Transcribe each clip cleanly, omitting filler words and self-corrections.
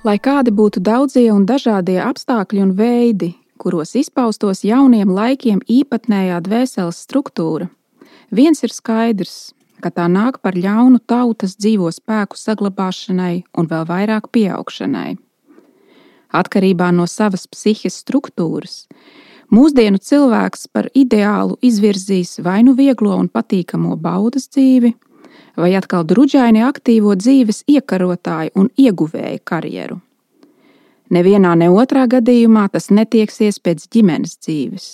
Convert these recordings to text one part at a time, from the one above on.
Lai kādi būtu daudzie un dažādie apstākļi un veidi, kuros izpaustos jauniem laikiem īpatnējā dvēseles struktūra, viens ir skaidrs, ka tā nāk par ļaunu tautas dzīvo spēku saglabāšanai un vēl vairāk pieaugšanai. Atkarībā no savas psihes struktūras, mūsdienu cilvēks par ideālu izvirzīs vai nu vieglo un patīkamo baudas dzīvi, vai atkal druģaini aktīvo dzīves iekarotāju un ieguvēju karjeru. Nevienā ne otrā gadījumā tas netieksies pēc ģimenes dzīves.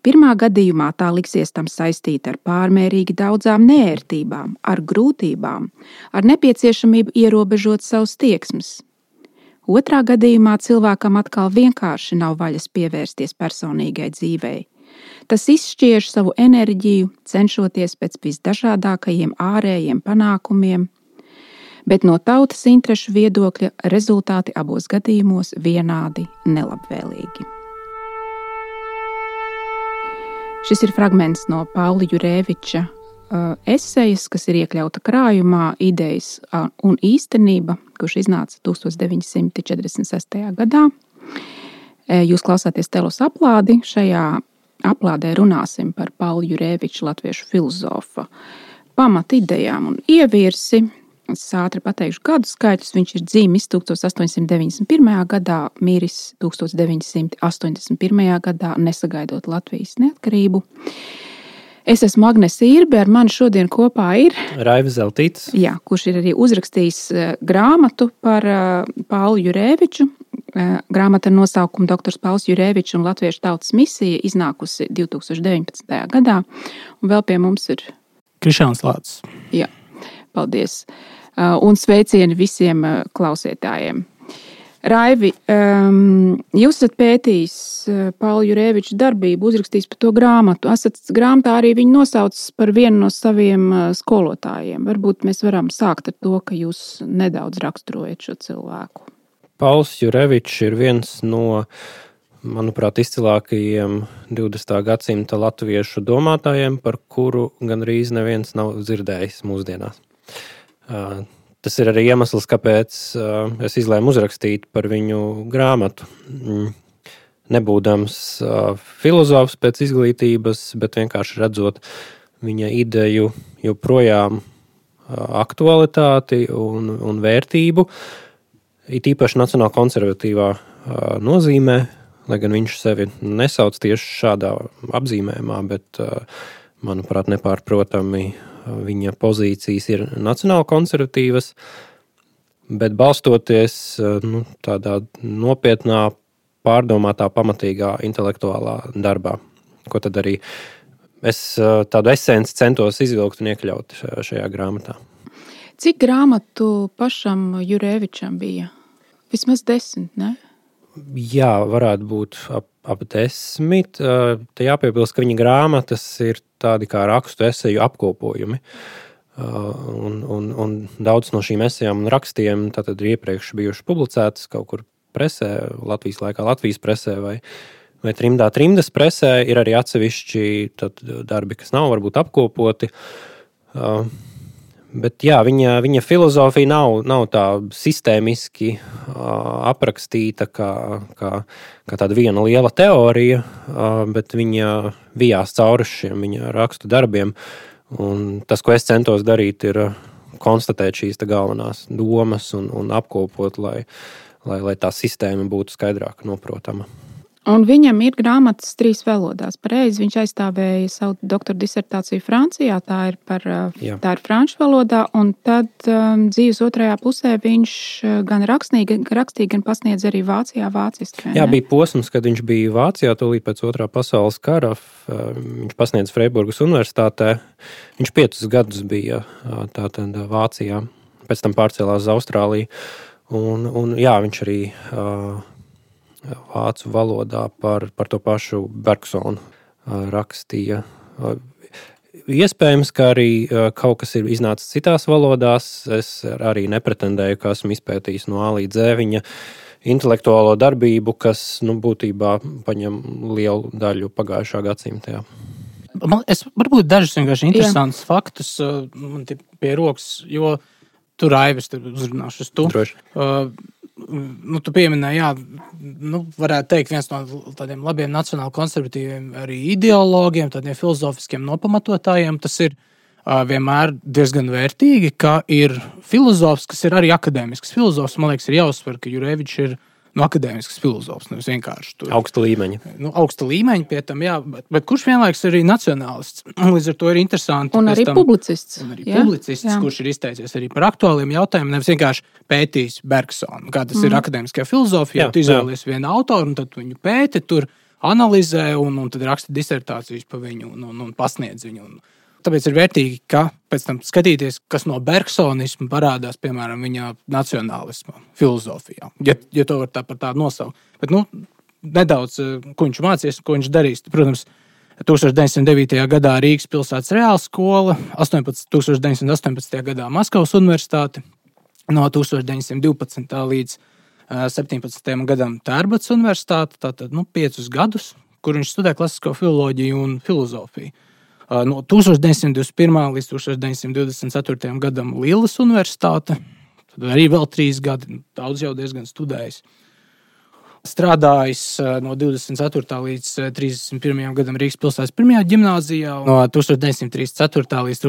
Pirmā gadījumā tā liksies tam saistīta ar pārmērīgi daudzām neērtībām, ar grūtībām, ar nepieciešamību ierobežot savus tieksmes. Otrā gadījumā cilvēkam atkal vienkārši nav vaļas pievērsties personīgai dzīvei. Tas izšķiež savu enerģiju, cenšoties pēc visdažādākajiem ārējiem panākumiem, bet no tautas interešu viedokļa rezultāti abos gadījumos vienādi nelabvēlīgi. Šis ir fragments no Paula Jurēviča esejas, kas ir iekļauta krājumā Idejas un īstenība, kurš iznāca 1946. gadā. Jūs klausāties Telos aplādi. Šajā aplādē runāsim par Paula Jurēviča latviešu filozofa pamatidejām un ievirsi. Es ātri pateikšu gadu skaitļus. Viņš ir dzimis 1891. gadā, miris 1981. gadā, nesagaidot Latvijas neatkarību. Es esmu Agnese Irbe, ar mani šodien kopā ir Raivis Zeltītis. Jā, kurš ir arī uzrakstījis grāmatu par Paulu Jurēviču. Grāmata ar nosaukumu Doktors Pauls Jurēvičs un Latviešu tautas misija, iznākusi 2019. gadā. Un vēl pie mums ir Krišāns Lācis. Jā, paldies. Un sveicieni visiem klausītājiem. Raivi, jūs esat pētījis Paula Jurēviča darbību, uzrakstījis par to grāmatu. Esat grāmatā arī viņu nosaucis par vienu no saviem skolotājiem. Varbūt mēs varam sākt ar to, ka jūs nedaudz raksturojat šo cilvēku. Pauls Jurēvičs ir viens no, manuprāt, izcilākajiem 20. gadsimta latviešu domātājiem, par kuru gandrīz neviens nav dzirdējis mūsdienās. Tas ir arī iemesls, kāpēc es izlēmu uzrakstīt par viņu grāmatu. Nebūdams filozofs pēc izglītības, bet vienkārši redzot viņa ideju joprojām aktualitāti un vērtību, it īpaši nacionāli konservatīvā nozīmē, lai gan viņš sevi nesauc tieši šādā apzīmējumā, bet, manuprāt, nepārprotami viņa pozīcijas ir nacionāli konservatīvas, bet balstoties tādā nopietnā, pārdomātā, pamatīgā intelektuālā darbā, ko tad arī es tādu esenci centos izvilkt un iekļaut šajā grāmatā. Cik grāmatu pašam Jurēvičam bija? Vismaz 10, ne? Jā, varētu būt ap 10. Te jāpiebilst, ka viņa grāmatas ir tādi kā rakstu eseju apkopojumi. Un daudz no šīm esejām un rakstiem tātad ir iepriekš bijuši publicētas kaut kur presē, Latvijas laikā Latvijas presē vai trimdas presē. Ir arī atsevišķi darbi, kas nav varbūt apkopoti. Bet jā, viņa filozofija nav tā sistēmiski aprakstīta kā tāda viena liela teorija, bet viņa vijās cauri šiem viņa rakstu darbiem. Un tas, ko es centos darīt, ir konstatēt šīs galvenās domas un apkopot, lai tā sistēma būtu skaidrāk noprotama. Un viņam ir grāmatas 3 valodās. Pareizi, viņš aizstāvēja savu doktora disertāciju Francijā, tā ir franču valodā, un tad dzīves otrajā pusē viņš gan rakstīja, gan pasniedz arī Vācijā vāciski. Jā, bija posms, kad viņš bija Vācijā, tūlīt pēc otrā pasaules kara. Viņš pasniedz Freiburgas universitātē. Viņš 5 gadus bija tātad Vācijā, pēc tam pārcēlās uz Austrāliju. Un jā, viņš arī vācu valodā par to pašu Bergsonu rakstīja. Iespējams, ka arī kaut kas ir iznācis citās valodās. Es arī nepretendēju, ka esmu izpētījis no A līdz Z viņa intelektuālo darbību, kas būtībā paņem lielu daļu pagājušā gadsimta. Es varbūt dažus vienkārši interesantus faktus man pie rokas, jo tu Raivis uzrunāšu uz tu. Droši. tu pieminēji, varētu teikt, viens no tādiem labiem nacionāli konservatīviem arī ideologiem, tādiem filozofiskiem nopamatotājiem, tas ir vienmēr diezgan vērtīgi, ka ir filozofs, kas ir arī akadēmisks filozofs. Man liekas, ir jāuzsver, ka Jurevičs ir akadēmisks filozofs, nevis vienkārši tur. Augsta līmeņa. Augsta līmeņa pie tam, jā, bet kurš vienlaiks arī nacionālists. Līdz ar to ir interesanti. Un arī publicists. Publicists, kurš ir izteicies arī par aktuāliem jautājumiem, nevis vienkārši pētījis Bergsonu. Kā tas ir akadēmiskajā filozofijā, tu izvēlies vienu autoru, un tad tu viņu pēti, tur analizē, un tad raksta disertācijas pa viņu, un pasniedz viņu. Tāpēc ir vērtīgi, ka pēc tam skatīties, kas no bergsonisma parādās, piemēram, viņa nacionālisma filozofijā, ja to var par tādu nosaukt. Bet, nedaudz, ko viņš mācīs, ko viņš darīs. Protams, 1909. gadā Rīgas pilsētas reālskola, 1918. gadā Maskavas universitāte, no 1912. līdz 17. gadam Tērbats universitāte, tātad 5 gadus, kur viņš studē klasisko filoloģiju un filozofiju. No 1921. līdz 1924. gadam Līlas universitāte, tad arī vēl 3 gadi, daudz jau diezgan studējis. Strādājis no 24. līdz 31. gadam Rīgas pilsētas 1. ģimnāzijā, no 1934. līdz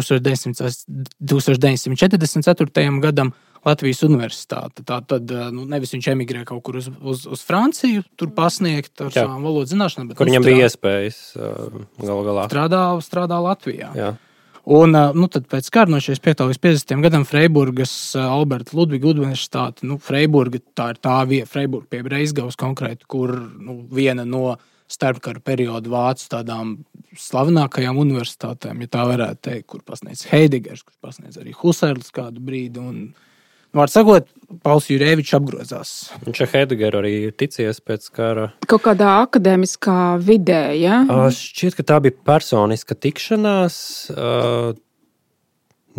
1944. gadam Latvijas universitāte. Tātad nevis viņš emigrē kaut kur uz Franciju, tur pasniegt ar savām valodas zināšanām, bet kur viņam bija iespējas galu galā. Strādā Latvijā. Jā. Un tad pēc kara no 45. līdz 50. gadam Freiburgas Alberta Ludviga universitāte, Freiburga, tā ir Freiburga pie Breizgavas konkrēti, kur viena no starpkara periodu vācu tādām slavenākajām universitātēm, ja tā varētu teikt, kur pasniedz Heidegers, kur pasniedz arī Husserls kādu brīdi, un var sakot, Pauls Jurevičs apgrozās. Viņš ar Heidegeru arī ticies pēc kara. Kaut kādā akadēmiskā vidē, ja? Šķiet, ka tā bija personiska tikšanās.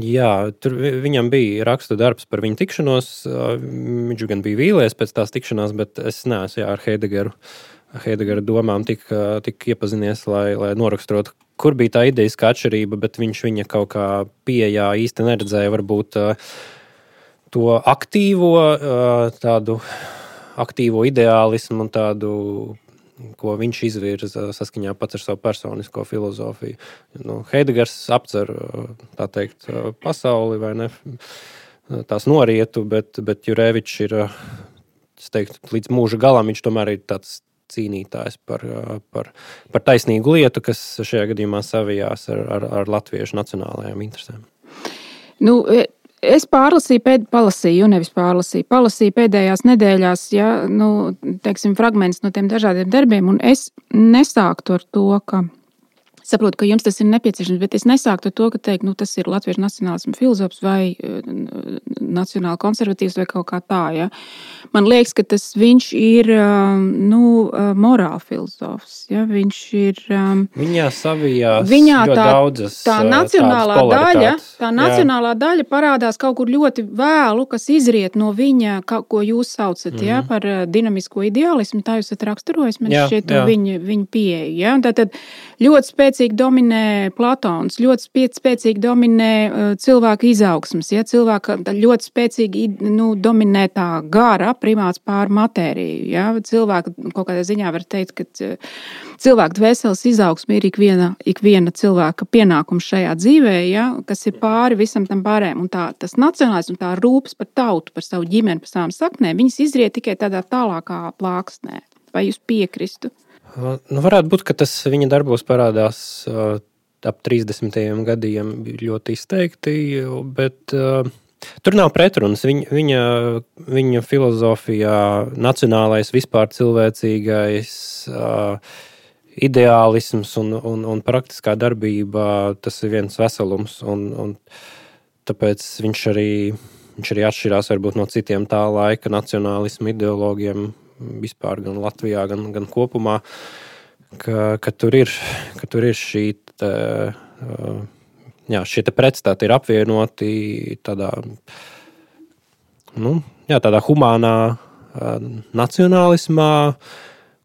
Jā, tur viņam bija rakstu darbs par viņu tikšanos. Viņš gan bija vīlies pēc tās tikšanās, bet es neesmu ar Heidegera domām tik iepazinies, lai noraksturotu, kur bija tā idejiskā atšķirība, bet viņš viņa kaut kā pieejā īsti neredzēja varbūt to tādu aktīvo ideālismu un tādu, ko viņš izvirza saskaņā pats ar savu personisko filozofiju. Heidegers apcer, tā teikt, pasauli vai ne, tās norietu, bet Jurevičs ir, es teiktu, līdz mūža galam viņš tomēr ir tāds cīnītājs par taisnīgu lietu, kas šajā gadījumā savijās ar latviešu nacionālajām interesēm. Es palasīju pēdējās nedēļās, fragmentus no tiem dažādiem darbiem, un es nesāktu ar to, ka saprotu, ka jums tas ir nepieciešams, bet es nesāktu ar to, ka teikt, tas ir latviešu nacionālisma filozofs vai nacionāli konservatīvs vai kaut kā tā, ja. Man liekas, ka viņš ir, morāla filozofs, ja. Viņš ir... Viņā savijās ļoti daudzas tā nacionālā daļa parādās kaut kur ļoti vēlu, kas izriet no viņa, ko jūs saucat, ja, par dinamisko ideālismu, tā jūs esat raksturojis, man šķiet viņa pieeja, ja. Tātad ļoti spēcīgi dominē Platons, ļoti spēcīgi dominē cilvēka izaugsmas, ja, cilvēka ļoti spēcīgi dominē tā gara primāts pār matēriju, ja, cilvēka kaut kādā ziņā var teikt, ka cilvēka dvēseles izaugsme ir ikviena cilvēka pienākums šajā dzīvē, ja, kas ir pāri visam tam pārējiem, un tas nacionālisms, tā rūpes par tautu, par savu ģimeni, par savām saknēm, viņas izriet tikai tādā tālākā plāksnē. Vai jūs piekristu? Varētu būt, ka tas viņa darbos parādās ap 30. gadiem ļoti izteikti, bet tur nav pretrunas. Viņa filozofijā nacionālais, vispār cilvēcīgais ideālisms un praktiskā darbība, tas ir viens veselums, un tāpēc viņš arī atšķirās varbūt no citiem tā laika nacionālismu ideologiem, vispār gan Latvijā, gan kopumā, ka tur ir šie pretstāti ir apvienoti tādā humānā nacionālismā,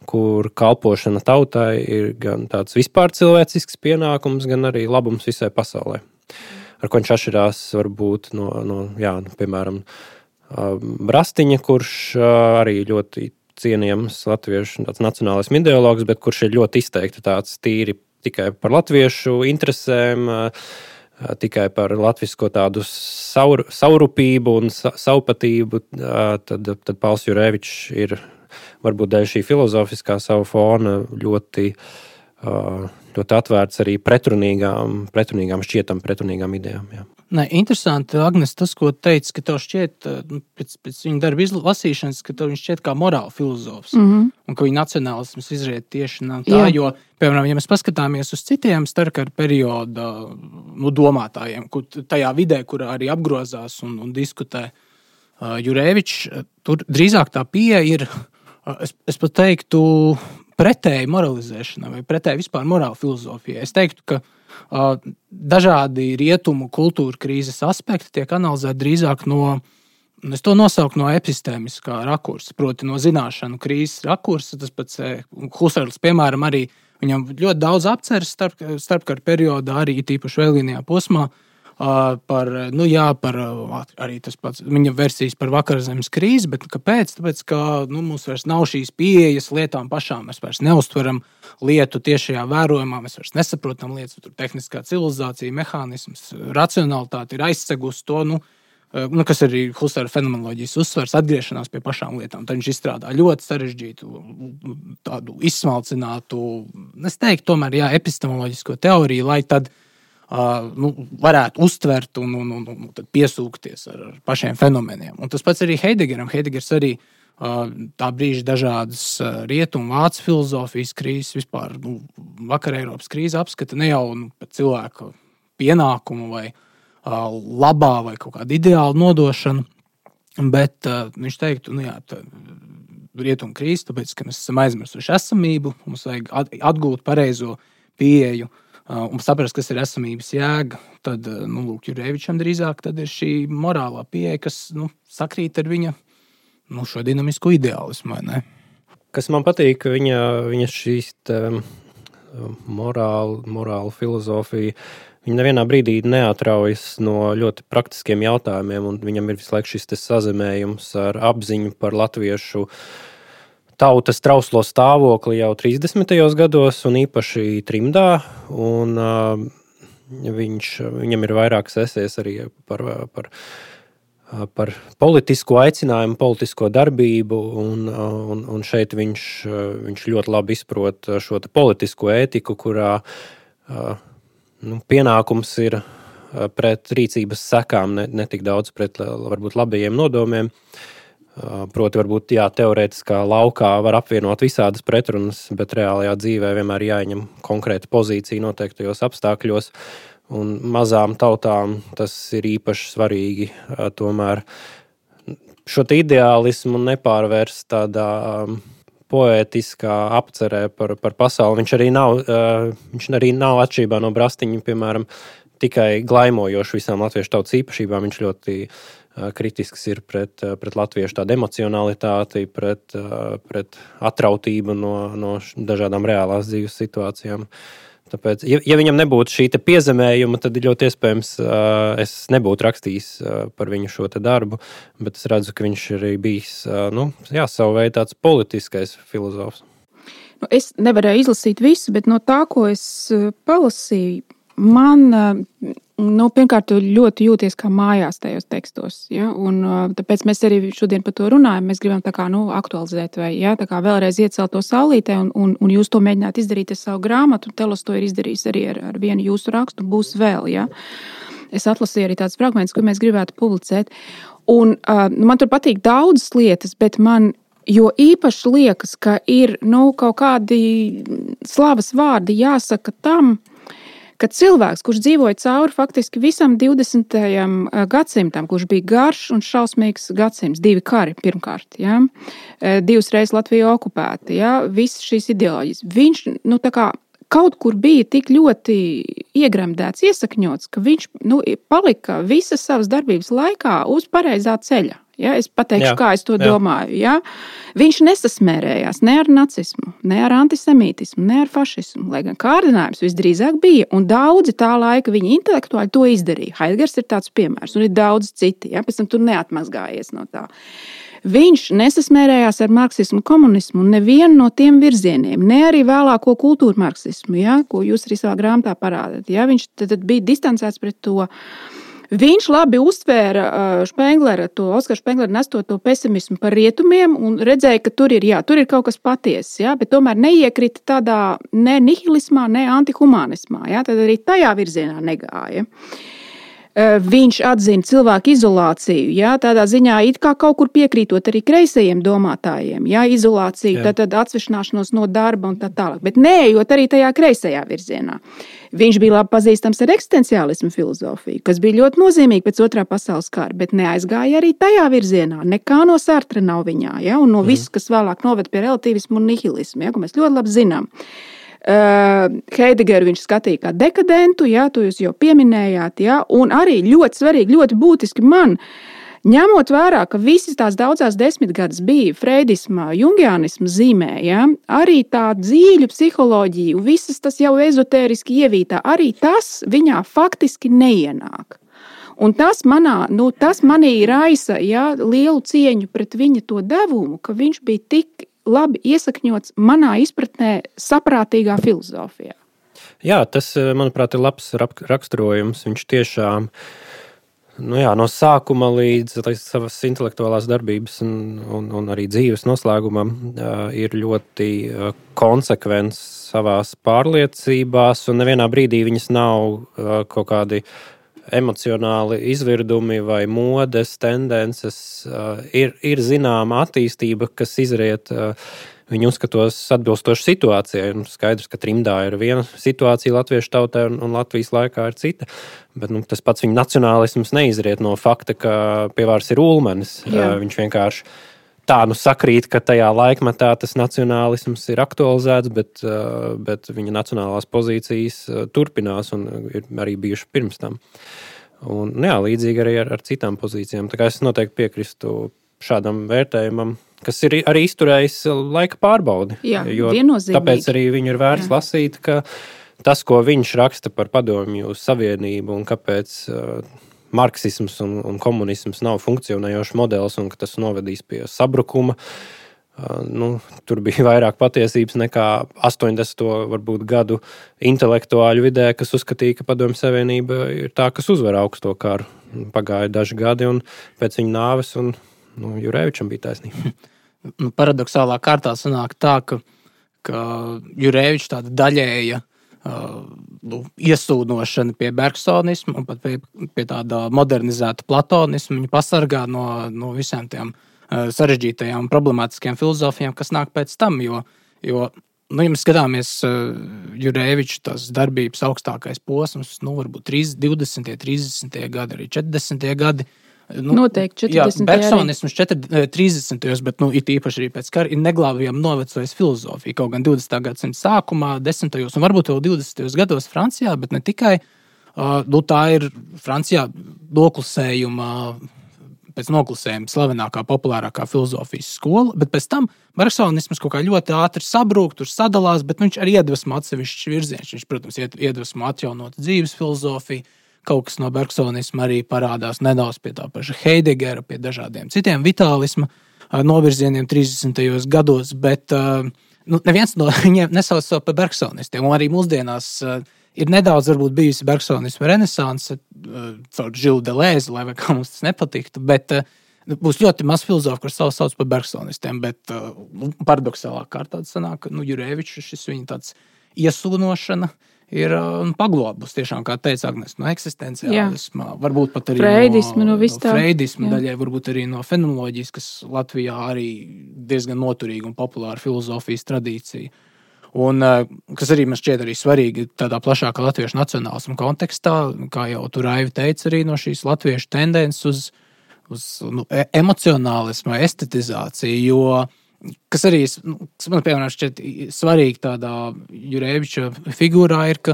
kur kalpošana tautai ir gan tāds vispār cilvēcisks pienākums, gan arī labums visai pasaulē. Ar ko viņš atšķirās varbūt no piemēram, Brastiņa, kurš arī ļoti cienījams latviešu nacionālismu ideologs, bet kurš ir ļoti izteikti tāds tīri tikai par latviešu interesēm, tikai par latvisko tādu saurupību un saupatību, tad Pauls Jurēvičs ir varbūt dēļ šī filozofiskā savu fona ļoti atvērts arī pretrunīgām idejām. Jā. Nē, interesanti, Agnes, tas, ko teici, ka tev šķiet, pēc viņa darba lasīšanas, ka tev viņš šķiet kā morāla filozofs, un ka viņa nacionālisms izriet tieši no tā, jo, piemēram, ja mēs paskatāmies uz citiem starpkara perioda domātājiem, tajā vidē, kurā arī apgrozās un diskutē Jurēvičs, tur drīzāk tā pieeja ir, es pat teiktu, pretēji moralizēšanai vai pretēji vispār morāla filozofijai. Es teiktu, ka dažādi rietumu kultūra krīzes aspekti tiek analizēti drīzāk es to nosauku no epistēmiskā rakursa, proti no zināšanu krīzes rakursa. Tas pats Husserls, piemēram, arī viņam ļoti daudz apceres starpkara periodā, arī tīpaši vēlīnajā posmā, par arī tas pats viņa versijas par vakarzemes krīzi, bet kāpēc? Tāpēc, ka mums vairs nav šīs pieejas lietām pašām, mēs vairs neuztveram lietu tiešajā vērojumā, mēs vairs nesaprotam lietas, tur tehniskā civilizācija, mehānisms, racionalitāte ir aizsegusi to, kas arī Husserla fenomenoloģijas uzsvers, atgriešanās pie pašām lietām. Tad viņš izstrādā ļoti sarežģītu, tādu izsmalcinātu, es teiktu, tomēr, epistemoloģisko teoriju, lai tad varētu uztvert un tad piesūkties ar pašiem fenomeniem. Un tas pats arī Heidegeram. Heidegers arī tā brīža dažādas rietumu vācu filozofijas krīzes, vispār vakar Eiropas krīze apskata ne jau pēc cilvēka pienākumu vai labā vai kaut kādu ideālu nodošanu, bet viņš teiktu, rietumu krīze, tāpēc, ka mēs esam aizmirsuši esamību, mums vajag atgūt pareizo pieeju un saprast, kas ir esamības jēga, tad, Jurēvičam drīzāk tad ir šī morālā pieeja, kas, sakrīt ar viņa, šo dinamisko ideālismu, vai ne? Kas man patīk, viņa šīs morāla filozofija, viņa nevienā brīdī neatraujas no ļoti praktiskiem jautājumiem, un viņam ir visu laiku šis sazemējums ar apziņu par latviešu tautas trauslo stāvokli jau 30. gados un īpaši trimdā, un viņam ir vairākas esejas arī par politisko aicinājumu, politisko darbību, un šeit viņš ļoti labi izprot šo politisko ētiku, kurā pienākums ir pret rīcības sekām, ne tik daudz pret varbūt labajiem nodomiem. Proti, varbūt teorētiskā laukā var apvienot visādas pretrunas, bet reālajā dzīvē vienmēr jāņem konkrēta pozīcija noteiktajos apstākļos, un mazām tautām tas ir īpaši svarīgi tomēr šo ideālismu nepārvērst tādā poētiskā apcerē par pasauli. Viņš arī nav atšķirībā no Brastiņa, piemēram, tikai glaimojoši visām latviešu tautas īpašībām. Viņš ļoti kritisks ir pret latviešu tādu emocionalitāti, pret atrautību no dažādām reālās dzīves situācijām. Tāpēc, ja viņam nebūtu šī piezemējuma, tad ļoti iespējams es nebūtu rakstījis par viņu šo darbu, bet es redzu, ka viņš arī bijis, savu veidu tāds politiskais filozofs. Es nevarēju izlasīt visu, bet no tā, ko es palasīju, man, pirmkārt, ļoti jūties kā mājās tajos tekstos, ja? Un tāpēc mēs arī šodien par to runājam. Mēs gribam tā kā, aktualizēt vai, ja? Tā kā vēlreiz iecelt to saulītē, un jūs to mēģināt izdarīt ar savu grāmatu, un Telos to ir izdarījis arī ar vienu jūsu rakstu, būs vēl, ja? Es atlasīju arī tāds fragments, ko mēs gribētu publicēt, un man tur patīk daudzas lietas, bet man jo īpaši liekas, ka ir, kaut kādi slavas vārdi jāsaka tam, ka cilvēks, kurš dzīvoja cauri faktiski visam 20. gadsimtam, kurš bija garš un šausmīgs gadsimts, 2 kari pirmkārt, ja? 2 reizes Latviju okupēta, ja? Visas šīs ideoloģijas. Viņš, tā kā kaut kur bija tik ļoti iegremdēts, iesakņots, ka viņš palika visas savas darbības laikā uz pareizā ceļa. Ja, es pateikšu, kā es to domāju. Ja? Viņš nesasmērējās ne ar nacismu, ne ar antisemītismu, ne ar fašismu, lai gan kārdinājums visdrīzāk bija, un daudzi tā laika viņa intelektuāļi to izdarīja. Haidgers ir tāds piemērs, un ir daudz citi, ja? Pēc tam tur neatmazgājies no tā. Viņš nesasmērējās ar marksismu, komunismu un nevienu no tiem virzieniem, ne arī vēlāko kultūru marksismu, ja? Ko jūs arī savā grāmatā parādat. Ja? Viņš tad bija distancēts pret to. Viņš labi uztvēra Oskara Špenglera nestot to pesimismu par rietumiem un redzēja, ka tur ir kaut kas patiess, ja, bet tomēr neiekrita tādā ne nihilismā, ne antihumanismā. Ja, tad arī tajā virzienā negāja. Viņš atzina cilvēku izolāciju, ja, tādā ziņā it kā kaut kur piekrītot arī kreisajiem domātājiem, ja, izolāciju, tad atsvešināšanos no darba un tā tālāk, bet neejot arī tajā kreisajā virzienā. Viņš bija labi pazīstams ar eksistenciālismu filozofiju, kas bija ļoti nozīmīga pēc Otrā pasaules kara, bet neaizgāja arī tajā virzienā. Nekā no Sartra nav viņā, ja, un no viss, kas vēlāk noved pie relativismu un nihilismu, ja, ko mēs ļoti labi zinām. Heidegeru viņš skatīja kā dekadentu, ja, to jūs jau pieminējāt, ja, un arī ļoti svarīgi, ļoti būtiski man, ņemot vērā, ka visas tās daudzās desmitgades bija freidisma, jungianisma zīmē, ja, arī tā dzīļu psiholoģija, visas tas jau ezotēriski ievītā, arī tas viņā faktiski neienāk. Un tas manī raisa, ja, lielu cieņu pret viņa to devumu, ka viņš bija tik labi iesakņots manā izpratnē saprātīgā filozofijā. Jā, tas, manuprāt, ir labs raksturojums. Viņš tiešām no sākuma līdz savas intelektuālās darbības un arī dzīves noslēgumam ir ļoti konsekvents savās pārliecībās, un nevienā brīdī viņas nav kaut kādi emocionāli izvirdumi vai modes tendences. Ir zināma attīstība, kas izriet viņu uzskatos atbilstoši situācijai. Skaidrs, ka trimdā ir viena situācija latviešu tautē un Latvijas laikā ir cita, bet tas pats viņa nacionālisms neizriet no fakta, ka pie varas ir Ulmanis. Viņš vienkārši tā sakrīt, ka tajā laikmetā tas nacionālisms ir aktualizēts, bet viņa nacionālās pozīcijas turpinās un ir arī bijuši pirms tam. Un, līdzīgi arī ar citām pozīcijām. Tā kā es noteikti piekristu šādam vērtējumam, kas ir arī izturējis laika pārbaudi. Jā, viennozīmīgi. Tāpēc arī viņu ir vērts lasīt, ka tas, ko viņš raksta par Padomju Savienību un kāpēc marksisms un komunisms nav funkcionējošs modelis un ka tas novedīs pie sabrukuma. Tur bija vairāk patiesības nekā 80. varbūt gadu intelektuāļu vidē, kas uzskatīja, ka Padomju Savienība ir tā, kas uzvar augsto karu. Pagāja daži gadi un pēc viņa nāves un Jurevičam bija taisnība. Paradoxālā kārtā sanāk tā, ka Jurevičs tāda daļēja iesūdošana pie bergsonismu un pat pie tāda modernizēta platonismu viņu pasargā no visām tiem sarežģītajām un problemātiskajām filozofijām, kas nāk pēc tam, jo ja mēs skatāmies Jureviča tās darbības augstākais posms, varbūt 20. 30. gadi, arī 40. gadi. Noteikti 40. Jā, bergsonisms 30. bet it īpaši arī pēc kara ir neglābjami novecojis filozofija. Kaut gan 20. gadsimta sākumā, 10. un varbūt vēl 20. gados Francijā, bet ne tikai. Tā ir Francijā pēc noklusējuma slavenākā, populārākā filozofijas skola, bet pēc tam bergsonisms kaut kā ļoti ātri sabrūk, tur sadalās, bet viņš arī iedvesmo atsevišķs virziens. Viņš, protams, iedvesmo atjaunot dzīves filozofiju. Kaut kas no bergsonisma arī parādās nedaudz pie tā paša Heidegera, pie dažādiem citiem vitālisma novirzieniem 30. gados, bet neviens no viņiem nesauc savu par bergsonistiem. Un arī mūsdienās ir nedaudz varbūt bijusi bergsonisma renesanse caur Žilu Delēzi, lai vai kā mums tas nepatiktu, bet būs ļoti maz filozofu, kurš sauc par bergsonistiem, bet paradoxālā kārtā sanāk, ka Jurevičs šis viņa tāds iesūnošana ir paglobus, tiešām, kā teica Agnes, no eksistenciālisma, varbūt pat arī no freidisma daļai, varbūt arī no fenomenoloģijas, kas Latvijā arī diezgan noturīga un populāra filozofijas tradīcija. Un kas arī man šķiet arī svarīgi tādā plašākā latviešu nacionālisma kontekstā, kā jau tur Raivi teica, arī no šīs latviešu tendences uz emocionālismu, estetizāciju, jo kas arī, man piemēram šķiet svarīgi tādā Jureviča figūrā ir, ka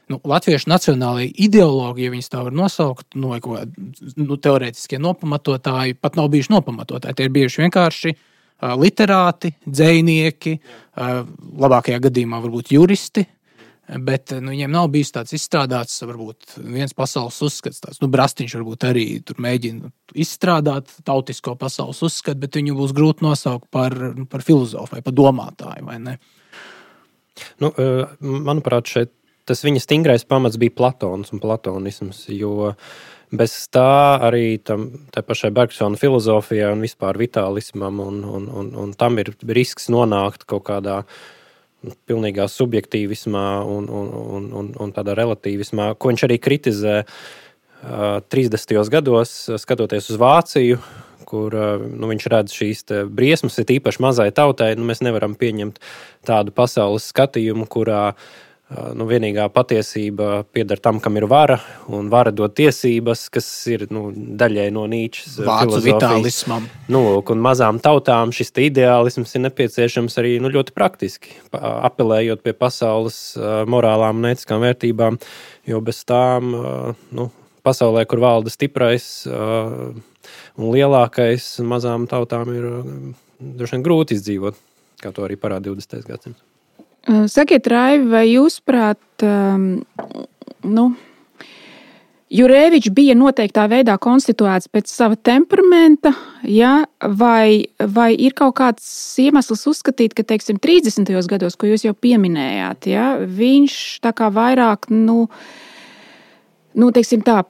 latviešu nacionālajai ideoloģija, ja viņas tā var nosaukt, teorētiskie nopamatotāji, pat nav bijuši nopamatotāji. Tie ir bijuši vienkārši literāti, dzejnieki, labākajā gadījumā varbūt juristi, bet viņiem nav bijis tāds izstrādāts, varbūt viens pasaules uzskats, tāds, Brastiņš varbūt arī tur mēģina izstrādāt tautisko pasaules uzskatu, bet viņu būs grūti nosaukt par filozofu vai par domātāju, vai ne? Manuprāt, šeit tas viņa stingrais pamats bija Platons un platonisms, jo bez tā arī tai pašai Bergsona filozofijā un vispār vitālismam un tam ir risks nonākt kaut kādā pilnīgā subjektīvismā un tādā relativismā, ko viņš arī kritizē 30. gados, skatoties uz Vāciju, kur viņš redz šīs briesmas, ir īpaši mazai tautai. Mēs nevaram pieņemt tādu pasaules skatījumu, kurā vienīgā patiesība pieder tam, kam ir vara, un vara dod tiesības, kas ir daļai no Nīčes Vācu vitālismam. Un mazām tautām šis ideālisms ir nepieciešams arī ļoti praktiski, apelējot pie pasaules morālām un ētiskām vērtībām, jo bez tām pasaulē, kur valda stiprais un lielākais, mazām tautām ir droši vien grūti izdzīvot, kā to arī parāda 20. gadsimts. Sakiet, Raivi, vai jūsprāt, Jurēvičs bija noteiktā veidā konstituēts pēc sava temperamenta, ja? vai ir kaut kāds iemesls uzskatīt, ka, 30. gados, ko jūs jau pieminējāt, ja? Viņš tā kā vairāk,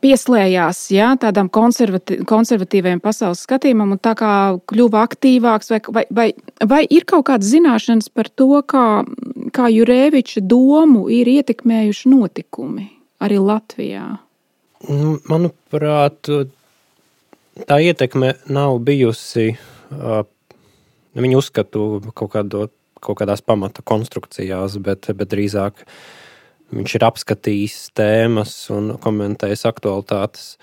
pieslējās tādām konservatīviem pasaules skatījumam un tā kā kļuva aktīvāks, vai ir kaut kādas zināšanas par to, kā Jurēviča domu ir ietekmējuši notikumi arī Latvijā? Manuprāt, tā ietekme nav bijusi viņu uzskatu kaut kādās pamata konstrukcijās, bet drīzāk viņš ir apskatījis tēmas un komentējis aktualitātes,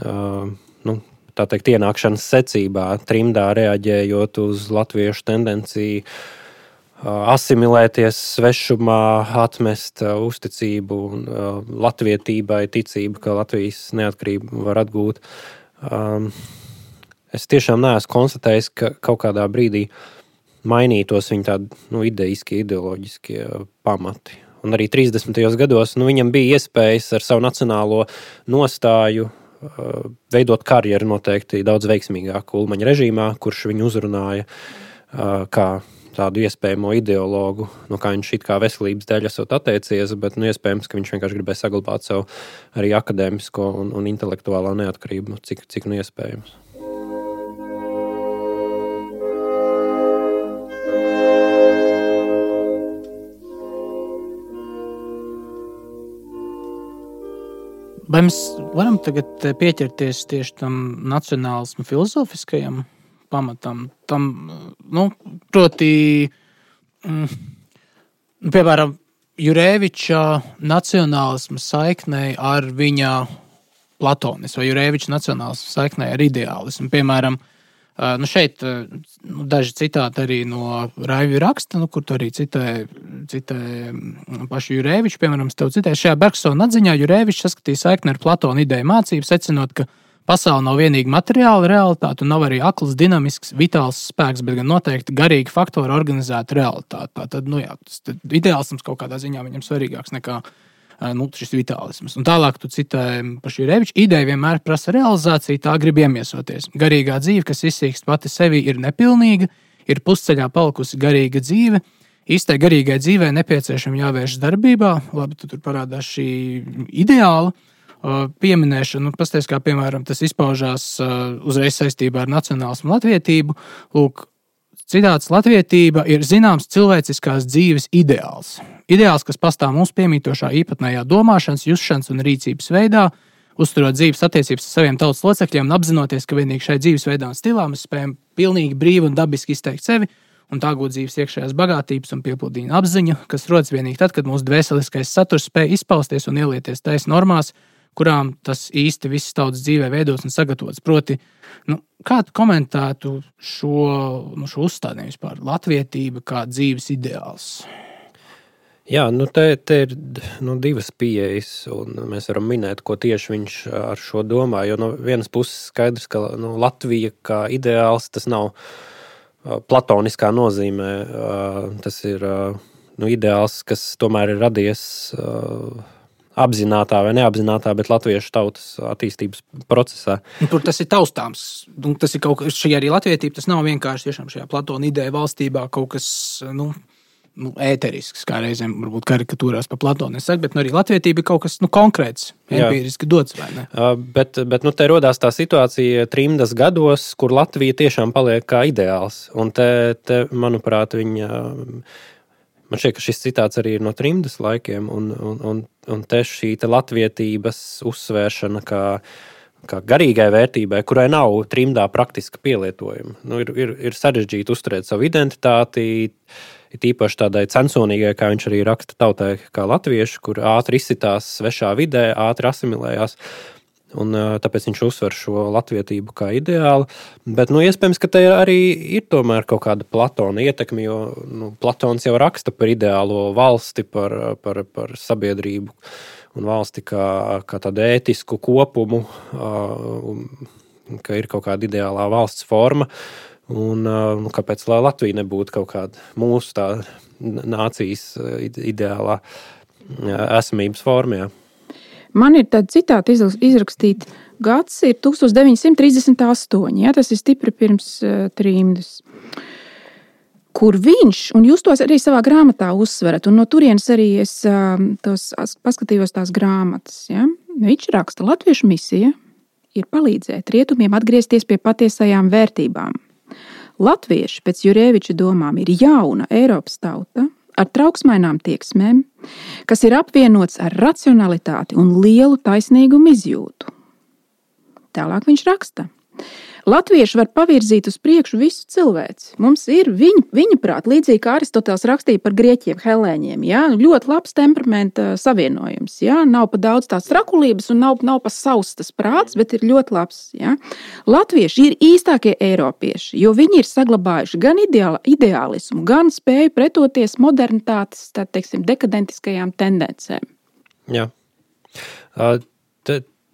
tā teikt, ienākšanas secībā, trimdā reaģējot uz latviešu tendenciju asimilēties svešumā, atmest uzticību latvietībai, ticību, ka Latvijas neatkarību var atgūt. Es tiešām neesmu konstatējis, ka kaut kādā brīdī mainītos viņa tādi idejiskie, ideoloģiskie pamati. Un arī 30. gados viņam bija iespējas ar savu nacionālo nostāju veidot karjeru noteikti daudz veiksmīgāk Ulmaņa režīmā, kurš viņu uzrunāja kā tādu iespējamo ideologu, kā viņš it kā veselības dēļ esot atteicies, bet iespējams, ka viņš vienkārši gribēja saglabāt savu arī akadēmisko un intelektuālā neatkarību, cik iespējams. Vai mēs varam tagad pieķerties tieši tam nacionālismu filozofiskajam pamatam? Tam, proti, piemēram, Jurēviča nacionālismu saiknei ar viņa platonismu vai Jurēviča nacionālismu saiknei ar ideālismu. Piemēram, šeit daži citāti arī no Raivi raksta, kur tu arī citē pašu Jurēviču. Piemēram, es tev citēju, šajā Bergsona atziņā Jurēvičs saskatīja saikni ar Platona ideju mācību, secinot, ka pasaule nav vienīgi materiāla realitāte un nav arī akls, dinamisks, vitāls spēks, bet gan noteikti garīgi faktori organizēta realitāte. Tātad, tas ideālisms kaut kādā ziņā viņam svarīgāks nekā šis vitālisms. Un tālāk tu citē pašu Jurēviču. Ideja vienmēr prasa realizāciju, tā grib iemiesoties. Garīgā dzīve, kas izsīkst pati sevi, ir nepilnīga, ir pusceļā palikusi garīga dzīve. Īstai garīgai dzīvei nepieciešami jāvērš darbībā. Labi, tu tur parādās šī ideāla pieminēšana. Pasties, kā piemēram tas izpaužās uzreiz saistībā ar nacionālismu latvietību. Lūk, citāts: latvietība ir zināms cilvēciskās dzīves ideāls. Ideāls, kas pastāv mūsu piemītošā īpatnējā domāšanas, jusšanas un rīcības veidā, uzturot dzīves attiecības ar saviem tautas locekļiem un apzinoties, ka vienīgi šai dzīvesveidā un stilā mēs spējam pilnīgi brīvi un dabiski izteikt sevi un tā gūt dzīves iekšējās bagātības un piepildījuma apziņu, kas rodas vienīgi tad, kad mūsu dvēseliskais saturs spēj izpausties un ielieties tais normās, kurām tas īsti viss tautas dzīvē veidots un sagatavots. Proti, kā tu komentētu šo uzstādījumu vispār? Latvietība kā dzīves ideāls? Jā, te ir divas pieejas, un mēs varam minēt, ko tieši viņš ar šo domā. Jo no vienas puses skaidrs, ka Latvija kā ideāls, tas nav platoniskā nozīmē. Tas ir ideāls, kas tomēr ir radies apzinātā vai neapzinātā, bet latviešu tautas attīstības procesā. Tur tas ir taustāms. Tas ir kaut kas, šī arī latvietība, tas nav vienkārši tiešām šajā Platona ideja valstībā kaut kas, ēterisks, kā reizēm varbūt karikatūrās pa Platonu nesaka, bet arī latvietība ir kaut kas konkrēts, empīriski dots, vai ne? Bet te rodās tā situācija trimdas gados, kur Latvija tiešām paliek kā ideāls. Un te manuprāt, man šķiet, ka šis citāts arī ir no trimdas laikiem, un te šī latvietības uzsvēršana kā garīgai vērtībai, kurai nav trimdā praktiska pielietojuma. Ir sarežģīti uzturēt savu identitāti, ir īpaši tādai censonīgai, kā viņš arī raksta tautai, kā latvieši, kur ātri izsitās svešā vidē, ātri asimilējās. Un tāpēc viņš uzsver šo latvietību kā ideālu. Bet iespējams, ka te arī ir tomēr kaut kāda Platona ietekme, jo Platons jau raksta par ideālo valsti, par sabiedrību un valsti kā tādu ētisku kopumu, ka ir kaut kāda ideālā valsts forma. Un kāpēc lai Latvija nebūtu kaut kāda mūsu tā nācijas ideālā esamības formā? Man ir tāda citāta izrakstīta. Gads ir 1938, tas ir stipri pirms trimdas. Kur viņš, un jūs tos arī savā grāmatā uzsverat, un no turienes arī es paskatījos tās grāmatas. Ja? Viņš raksta, latviešu misija ir palīdzēt rietumiem atgriezties pie patiesajām vērtībām. Latvieši pēc Jurēviča domām ir jauna Eiropas tauta ar trauksmainām tieksmēm, kas ir apvienots ar racionalitāti un lielu taisnīgumu izjūtu. Tālāk viņš raksta. Latvieši var pavirzīt uz priekšu visu cilvēci. Mums ir viņa prāt, līdzīgi kā Aristoteles rakstīja par grieķiem, helēņiem. Ja? Ļoti labs temperamenta savienojums. Ja? Nav pa daudz tās trakulības un nav pa savs tas prāts, bet ir ļoti labs. Ja? Latvieši ir īstākie eiropieši, jo viņi ir saglabājuši gan ideālismu, gan spēju pretoties modernitātes, tā teiksim, dekadentiskajām tendencēm. Jā.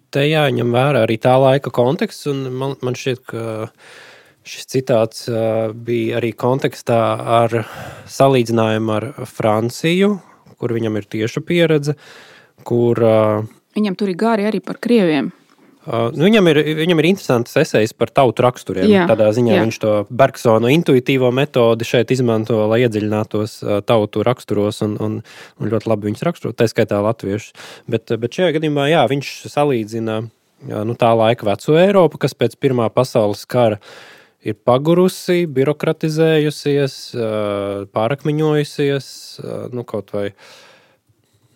Te jāņem vērā arī tā laika konteksts, un man šķiet, ka šis citāts bija arī kontekstā ar salīdzinājumu ar Franciju, kur viņam ir tieša pieredze, kur... Viņam tur ir gari arī par krieviem. Viņam ir interesants esejas par tautu raksturiem. Jā, tādā ziņā jā. Viņš to Bergsona intuitīvo metodi šeit izmanto, lai iedziļinātos tautu raksturos un ļoti labi viņus raksturo, tā skaitā latviešus. Bet šajā gadījumā, jā, viņš salīdzina tā laika veco Eiropu, kas pēc Pirmā pasaules kara ir pagurusi, birokratizējusies, pārakmeņojusies, kaut vai...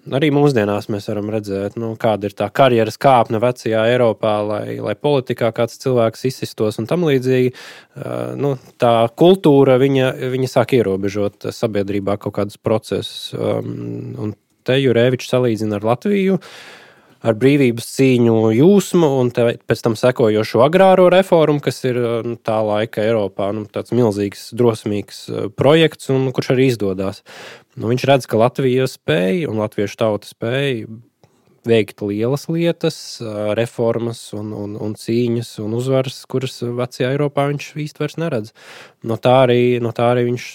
Arī mūsdienās mēs varam redzēt, kāda ir tā karjeras kāpne vecajā Eiropā, lai politikā kāds cilvēks izsistos un tam līdzīgi. Tā kultūra, viņa sāk ierobežot sabiedrībā kaut kādus procesus. Un te Jurēvičs salīdzina ar Latviju, ar brīvības cīņu jūsmu un pēc tam sekojošo agrāro reformu, kas ir tā laika Eiropā tāds milzīgs, drosmīgs projekts, un kurš arī izdodās. Viņš redz, ka Latvija spēja un latviešu tauta spēja veikt lielas lietas, reformas un cīņas un uzvaras, kuras vecajā Eiropā viņš īsti vairs neredz. No tā arī viņš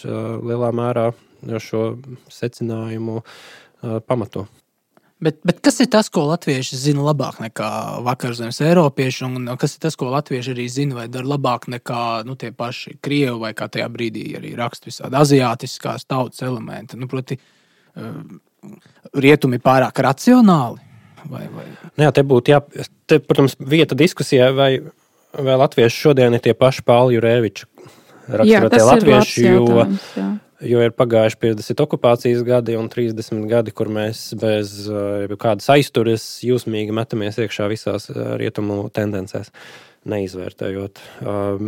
lielā mērā šo secinājumu pamato. Bet kas ir tas, ko latvieši zina labāk nekā vakarzemes eiropieši, un kas ir tas, ko latvieši arī zina vai dara labāk nekā tie paši krievi vai kā tajā brīdī arī raksta visādi aziātiskās tautas elementi? Proti, rietumi pārāk racionāli? Vai? Jā, te, protams, vieta diskusijai, vai latvieši šodien ir tie paši Pāli Jurēviča raksturotie latvieši, jo ir pagājuši 50 okupācijas gadi un 30 gadi, kur mēs bez kādas aizturas jūsmīgi metamies iekšā visās rietumu tendencēs, neizvērtējot.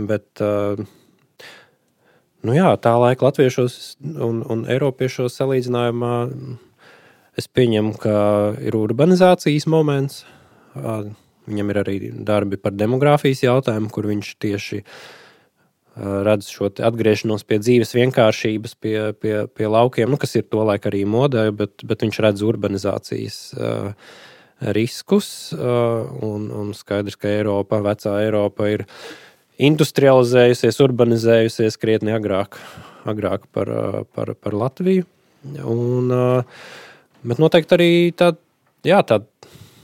Bet, tā laika latviešos un eiropiešos salīdzinājumā es pieņemu, ka ir urbanizācijas moments. Viņam ir arī darbi par demogrāfijas jautājumu, kur viņš tieši redz šo atgriešanos pie dzīves vienkāršības, pie laukiem, kas ir tolaik arī modē, bet viņš redz urbanizācijas riskus, un skaidrs, ka vecā Eiropa ir industrializējusies, urbanizējusies krietni agrāk par Latviju. Bet noteikti arī tāda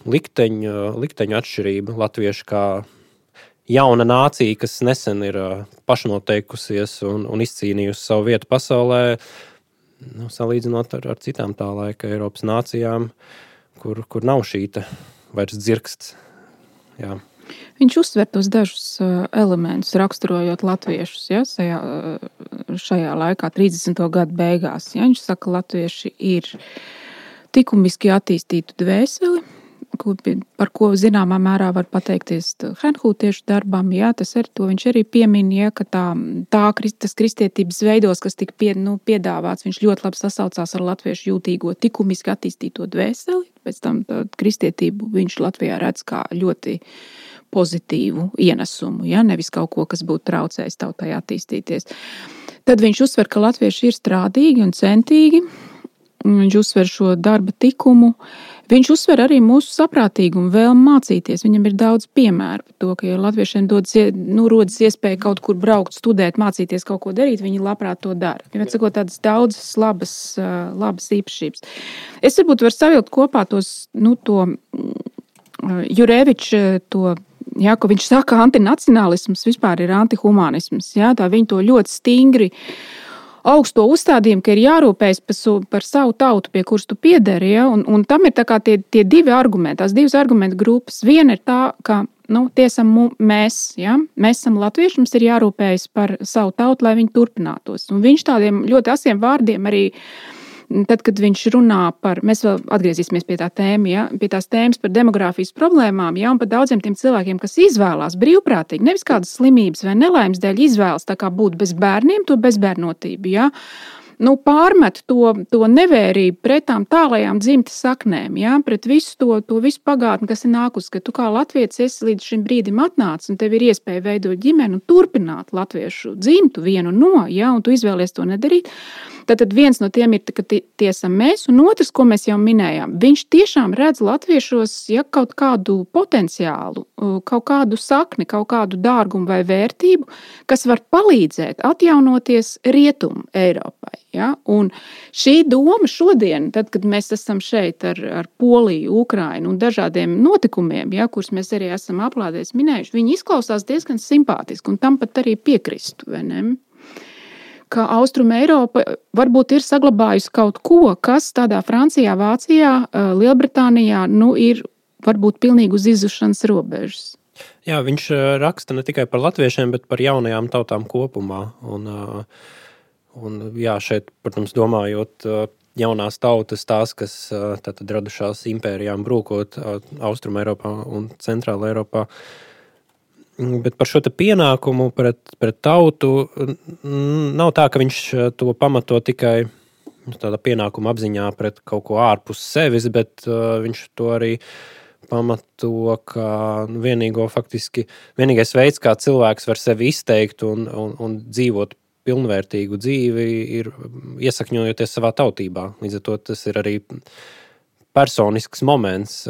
likteņa atšķirība latvieši kā jauna nācija, kas nesen ir pašnoteikusies un izcīnījusi savu vietu pasaulē, salīdzinot ar citām tā laika Eiropas nācijām, kur nav šī vairs dzirksts. Jā. Viņš uzsver tos dažus elementus, raksturojot latviešus, ja, šajā laikā, 30. gadu beigās. Ja, viņš saka, ka latvieši ir likumiski attīstītu dvēseli, par ko zināmā mērā var pateikties henhūtiešu darbam. Jā, to viņš arī piemin, ja, ka tas kristietības veidos, kas tika piedāvāts, viņš ļoti labi sasaucās ar latviešu jūtīgo likumiski attīstīto dvēseli. Pēc tam kristietību viņš Latvijā redz kā ļoti pozitīvu ienesumu, ja, nevis kaut ko, kas būtu traucējis tautai attīstīties. Tad viņš uzsver, ka latvieši ir strādīgi un centīgi. Viņš uzsver šo darba tikumu. Viņš uzsver arī mūsu saprātīgumu, vēlmu mācīties. Viņam ir daudz piemēru par to, ka, ja latviešiem rodas iespēja kaut kur braukt, studēt, mācīties kaut ko darīt, viņi labprāt to dara. Viņam ir tādas daudzas labas īpašības. Es varbūt varu savilkt kopā to Jureviča, jā, ko viņš saka, antinacionālisms vispār ir antihumanisms. Jā, tā viņi to ļoti stingri augsto uzstādījumu, ka ir jārūpējas par savu tautu, pie kuras tu piederi, ja? Un tam ir tā kā tie divi argumenti, tās divas argumentu grupas. Viena ir tā, ka tie esam mēs, ja? Mēs esam latvieši, mums ir jārūpējas par savu tautu, lai viņi turpinātos. Un viņš tādiem ļoti asiem vārdiem arī, tad, kad viņš runā par, mēs vēl atgriezīsimies pie tā tēma, ja? Pie tās tēmas par demogrāfijas problēmām, ja? Un par daudziem tiem cilvēkiem, kas izvēlās brīvprātīgi, nevis kādas slimības vai nelaimes dēļ izvēlas tā kā būt bez bērniem, to bezbērnotību, ja? Pārmet to nevērību pret tām tālajām dzimtas saknēm, ja? Pret visu to visu pagātni, kas ir nākus, ka tu kā latvietis esi līdz šim brīdim atnācis un tev ir iespēja veidot ģimeni un turpināt latviešu dzimtu vienu no, ja? Un tu izvēlies to nedarīt. Tad viens no tiem ir, ka tie esam mēs, un otrs, ko mēs jau minējām, viņš tiešām redz latviešos, ja, kaut kādu potenciālu, kaut kādu sakni, kaut kādu dārgumu vai vērtību, kas var palīdzēt atjaunoties Rietumu Eiropai. Ja? Un šī doma šodien, tad, kad mēs esam šeit ar Poliju, Ukrainu un dažādiem notikumiem, ja, kurus mēs arī esam aplādēs minējuši, viņi izklausās diezgan simpātiski, un tam pat arī piekristu, vai ne? Ka Austrum Eiropa varbūt ir saglabājusi kaut ko, kas tādā Francijā, Vācijā, Lielbritānijā ir varbūt pilnīgi uz izušanas robežas. Jā, viņš raksta ne tikai par latviešiem, bet par jaunajām tautām kopumā. Un jā, šeit, protams, domājot jaunās tautas, tās, kas tātad radušās impērijām brūkot Austrum Eiropā un Centrāla Eiropā. Bet par šo te pienākumu pret tautu nav tā, ka viņš to pamato tikai tādā pienākuma apziņā pret kaut ko ārpus sevis, bet viņš to arī pamato, ka vienīgais veids, kā cilvēks var sevi izteikt un dzīvot pilnvērtīgu dzīvi, ir iesakņojoties savā tautībā. Līdz ar to tas ir arī personisks moments.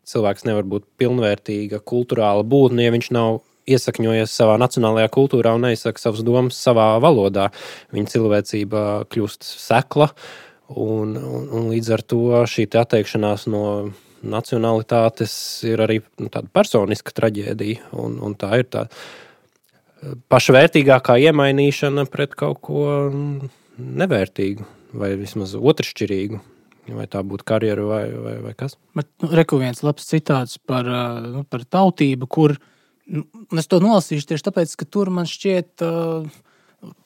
Cilvēks nevar būt pilnvērtīga kulturāla būtne, ja viņš nav iesakņojies savā nacionālajā kultūrā un neizsaka savas domas savā valodā. Viņa cilvēcība kļūst sekla, un līdz ar to šī atteikšanās no nacionalitātes ir arī tāda personiska traģēdija, un tā ir tā pašvērtīgākā iemainīšana pret kaut ko nevērtīgu vai vismaz otršķirīgu. Vai tā būtu karjera vai kas? Reku viens labs citāts par tautību, kur, es to nolasīšu tieši tāpēc, ka tur man šķiet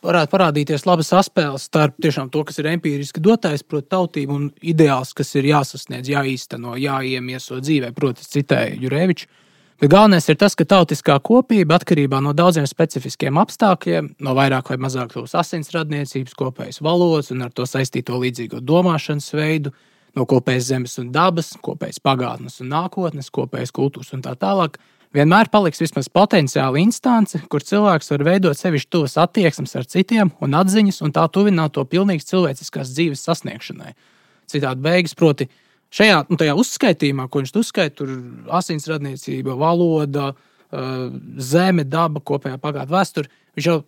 varētu parādīties laba saspēles starp tiešām to, kas ir empīriski dotais, proti tautību, un ideāls, kas ir jāsasniedz, jāīsteno, jāiemieso dzīvē, proti citēju Jureviču. Bet galvenais ir tas, ka tautiskā kopība atkarībā no daudziem specifiskiem apstākļiem, no vairāk vai mazāk tos asins radniecības, kopējas valodas un ar to saistīto līdzīgo domāšanas veidu, no kopējas zemes un dabas, kopējas pagātnes un nākotnes, kopējas kultūras un tā tālāk, vienmēr paliks vismaz potenciāla instance, kur cilvēks var veidot sevišķi tuvas attieksmes ar citiem un atziņas, un tā tuvināt to pilnīgi cilvēciskās dzīves sasniegšanai. Citādi beigas, proti, šajā tajā uzskaitījumā, ko viņš uzskaita, tur asinsradniecība, valoda, zeme, daba, kopējā pagātnē vēsture. Viņš jau,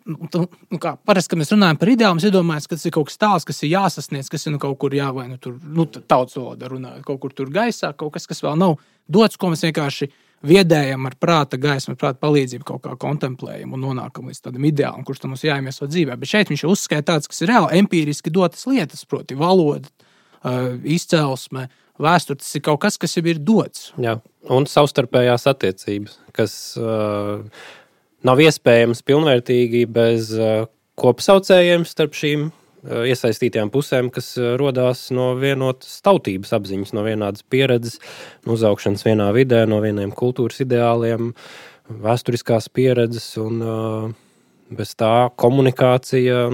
kā parasti, kad mēs runājam par ideālu, mēs iedomājamies, ka tas ir kaut kas tāds, kas ir jāsasniedz, kas ir kaut kur vai tur, tautas valodā runājot, kaut kur tur gaisā, kaut kas vēl nav dots, ko mēs vienkārši viedējam ar prāta gaismu, ar prāta palīdzību kaut kā kontemplējam un nonākam līdz tādam ideālam, kurš tam mums jāiemieso dzīvē. Bet šeit viņš uzskaita tāds, kas ir reāli empīriski dotas lietas, proti valoda, izcelsme, vēsture, tas ir kaut kas, kas jau ir dots. Jā, un savstarpējās attiecības, kas nav iespējams pilnvērtīgi bez kopsaucējiem starp šīm iesaistītajām pusēm, kas rodās no vienotas tautības apziņas, no vienādas pieredzes, no uzaugšanas vienā vidē, no vieniem kultūras ideāliem, vēsturiskās pieredzes, un bez tā komunikācija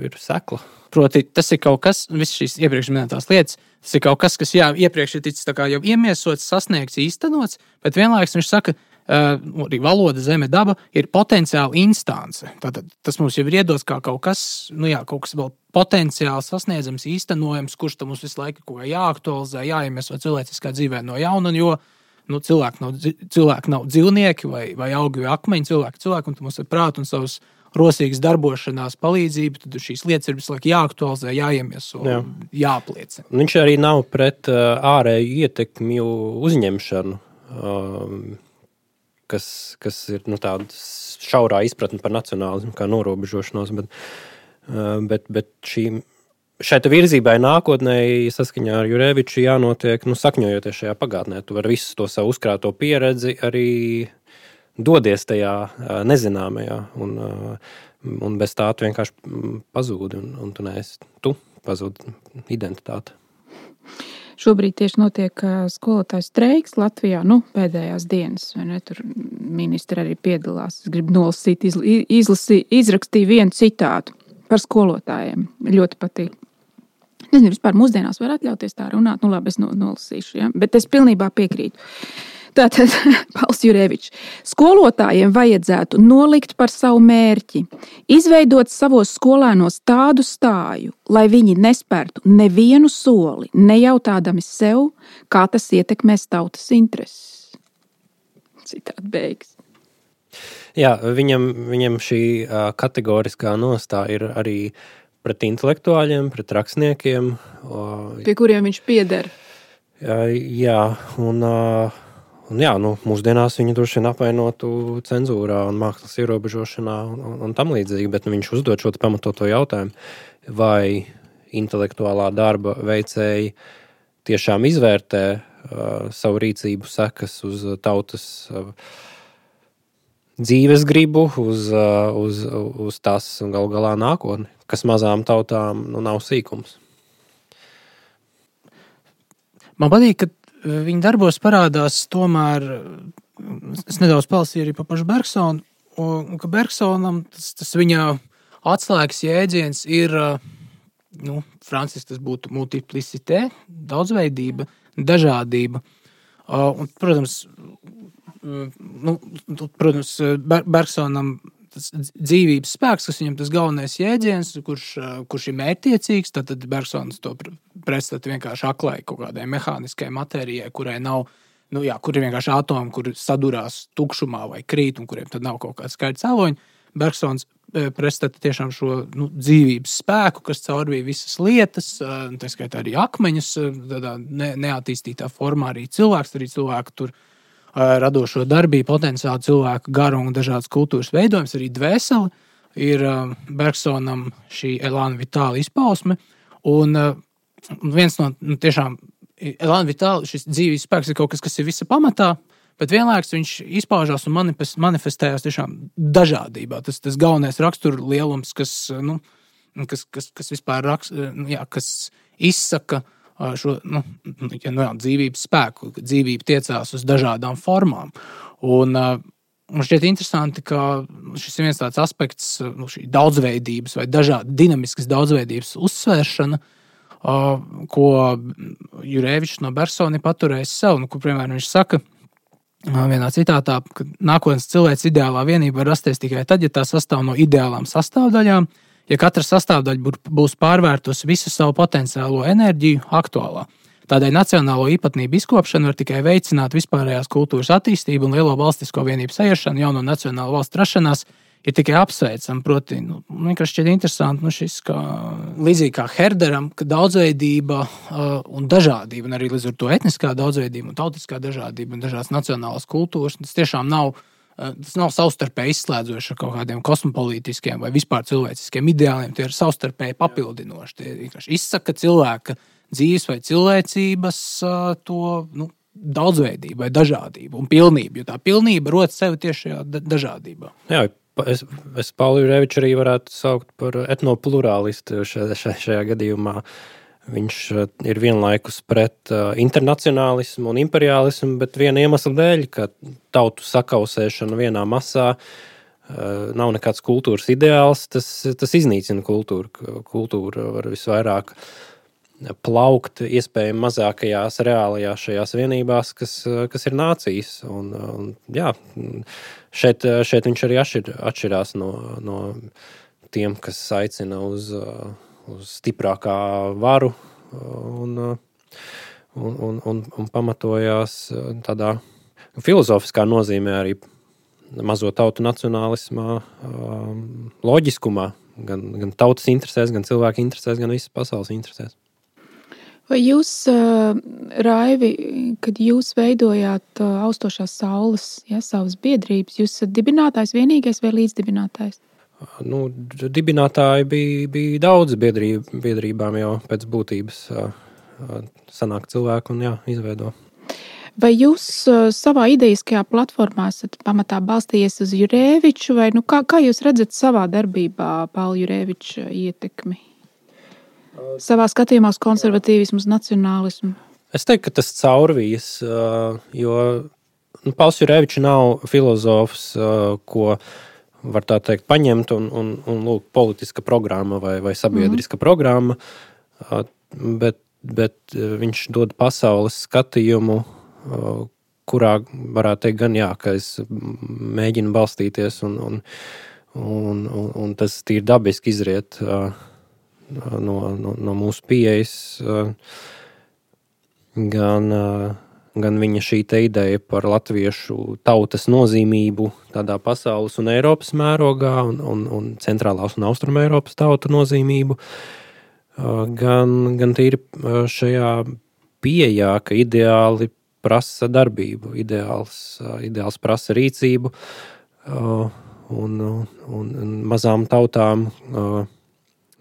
ir sekla. Proti, tas ir kaut kas, visas šīs iepriekš minētās lietas, tas ir kaut kas, kas iepriekš ir ticis tā kā jau iemiesots, sasniegts, īstenots, bet vienlaikus viņš saka, arī valoda, zeme, daba ir potenciāli instance. Tātad tas mums jau ir iedots kā kaut kas, kaut kas vēl potenciāli sasniedzams, īstenojams, kurš tam mums visu laiku kaut kā jāaktualizē, jāiemieso cilvēciskā dzīvē no jauna, jo cilvēki nav dzīvnieki vai augi vai akmeņi, cilvēki, un mums ir prāti un savas rosīgas darbošanās palīdzība, tad šīs lietas ir visu laiku jāaktualizē, jāiemieso, jāapliecina. Viņš arī nav pret ārēju ietekmju uzņemšanu, kas ir tāda šaurā izpratne par nacionālismu, kā norobežošanos, bet šai virzībai nākotnē, saskaņā ar Jureviču, jānotiek, sakņojoties šajā pagātnē. Tu vari visu to savu uzkrāto pieredzi arī dodies tajā nezināmajā, un bez tā tu vienkārši pazūdi, un tu pazūdi identitāti. Šobrīd tieši notiek skolotāju streiks Latvijā, pēdējās dienas, vai ne? Tur ministri arī piedalās. Es gribu nolasīt, izrakstīju vienu citātu par skolotājiem. Ļoti patīk. Nezinu, vispār mūsdienās var atļauties tā runāt, labi, es nolasīšu, ja? Bet es pilnībā piekrītu. Tātad, Pauls Jurevičs, skolotājiem vajadzētu nolikt par savu mērķi, izveidot savos skolēnos tādu stāju, lai viņi nespērtu nevienu soli, nejautādami sev, kā tas ietekmēs tautas intereses. Citādi beigas. Jā, viņam šī kategoriskā nostāja ir arī pret intelektuāļiem, pret rakstniekiem. Pie kuriem viņš pieder. Jā, un mūsdienās viņu droši vien apvainotu cenzūrā un mākslas ierobežošanā un tam līdzīgi, bet viņš uzdod šo pamatoto jautājumu, vai intelektuālā darba veicēji tiešām izvērtē savu rīcību sekas uz tautas dzīves gribu, uz tās galu galā nākotni, kas mazām tautām nav sīkums. Man patīk, ka viņa darbos parādās tomēr, es nedaudz palasīju arī par pašu Bergsonu, un ka Bergsonam tas viņa atslēgas jēdziens ir, franciski tas būtu multiplicité, daudzveidība, dažādība. Un, protams, Bergsonam tas dzīvības spēks, kas viņam tas galvenais jēdziens, kurš ir mērķtiecīgs, tad Bergsons to pretstata vienkārši aklai kaut kādai mehāniskai matērijai, kurai nav, kur ir vienkārši atomi, kur sadurās tukšumā vai krīt, un kuriem tad nav kaut kāda skaidra cēloņa. Bergsons pretstata tiešām šo dzīvības spēku, kas caurvīja visas lietas, tā skaitā arī akmeņus, tādā neattīstītā formā arī cilvēku tur radošo darbību, potenciāli cilvēku garu un dažādas kultūras veidojums, arī dvēseli ir Bergsonam šī Elan Vitāla izpausme. Un viens no tiešām Elan Vitāla, šis dzīvības spēks ir kaut kas, kas ir visa pamatā, bet vienlaikus viņš izpaužās un manifestējās tiešām dažādībā. Tas galvenais rakstura lielums, kas vispār kas izsaka šo dzīvības spēku, dzīvība tiecās uz dažādām formām. Un šķiet interesanti, ka šis ir viens tāds aspekts, šī daudzveidības vai dinamiskas daudzveidības uzsvēršana, ko Jurevičs no Bersona paturējis sev, kur, piemēram, viņš saka, vienā citātā, ka nākotnes cilvēks ideālā vienība var rasties tikai tad, ja tā sastāv no ideālām sastāvdaļām, ja katra sastāvdaļa būs pārvērtusi visu savu potenciālo enerģiju aktuālā. Tādēļ nacionālo īpatnību izkopšana var tikai veicināt vispārējās kultūras attīstību un lielo valstisko vienību saieršanu, jauno nacionālu valstu rašanās ir tikai apsveicama. Proti, vienkārši šķiet interesanti, šis kā līdzīgi kā Herderam, ka daudzveidība un dažādība, un arī līdz ar to etniskā daudzveidība un tautiskā dažādība un dažādas nacionālās kultūras, tas tiešām nav savstarpēji izslēdzoši ar kaut kādiem kosmopolītiskiem vai vispār cilvēciskiem ideāliem. Tie ir savstarpēji papildinoši. Tie vienkārši izsaka cilvēka dzīves vai cilvēcības to daudzveidību vai dažādību un pilnību, jo tā pilnība rodas sevi tieši šajā dažādībā. Jā, es Paulu Jureviču arī varētu saukt par etnoplurālistu šajā gadījumā. Viņš ir vienlaikus pret internacionālismu un imperialismu, bet viena iemesla dēļ, ka tautu sakausēšana vienā masā nav nekāds kultūras ideāls, tas iznīcina kultūru. Kultūra var visvairāk plaukt iespējami mazākajās reālajās šajās vienībās, kas ir nācijas. Un jā, šeit viņš arī atšķirās no tiem, kas aicina uz stiprākā varu un pamatojās tādā filozofiskā nozīmē arī mazo tautu nacionālismā, loģiskumā, gan tautas interesēs, gan cilvēku interesēs, gan visas pasaules interesēs. Vai jūs, Raivi, kad jūs veidojāt Austošās saules, savas biedrības, jūs esat dibinātājs vienīgais vai līdzdibinātājs? Dibinātāji bija daudz biedrībām jau pēc būtības sanāk cilvēku un izveido. Vai jūs savā ideiskajā platformā esat pamatā balstījies uz Jureviču, vai kā jūs redzat savā darbībā Paula Jureviča ietekmi? Savā skatījumā uz konservatīvismu, uz nacionālismu? Es teiktu, ka tas caurvijas, jo Pauls Jurevičs nav filozofs, ko var tā teikt paņemt un lūk, politiska programma vai sabiedriska programma, bet viņš dod pasaules skatījumu, kurā varētu teikt gan ka es mēģinu balstīties un tas tīri dabiski izriet no mūsu pieejas, gan viņa šī te ideja par latviešu tautas nozīmību tādā pasaules un Eiropas mērogā un centrālās un austruma Eiropas tautu nozīmību, gan tīri šajā pieejā, ka ideāli prasa darbību, ideāls prasa rīcību un mazām tautām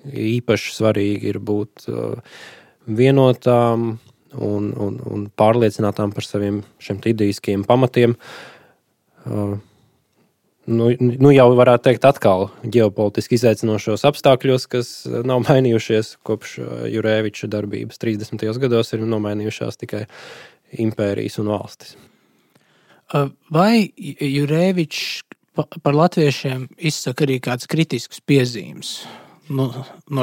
īpaši svarīgi ir būt vienotām un pārliecinātām par saviem šiem idejiskiem pamatiem. Jau varētu teikt atkal ģeopolitiski izaicinošos apstākļos, kas nav mainījušies kopš Jureviča darbības 30. gados, ir nomainījušās tikai impērijas un valstis. Vai Jurevičs par latviešiem izsaka arī kāds kritisks piezīmes? No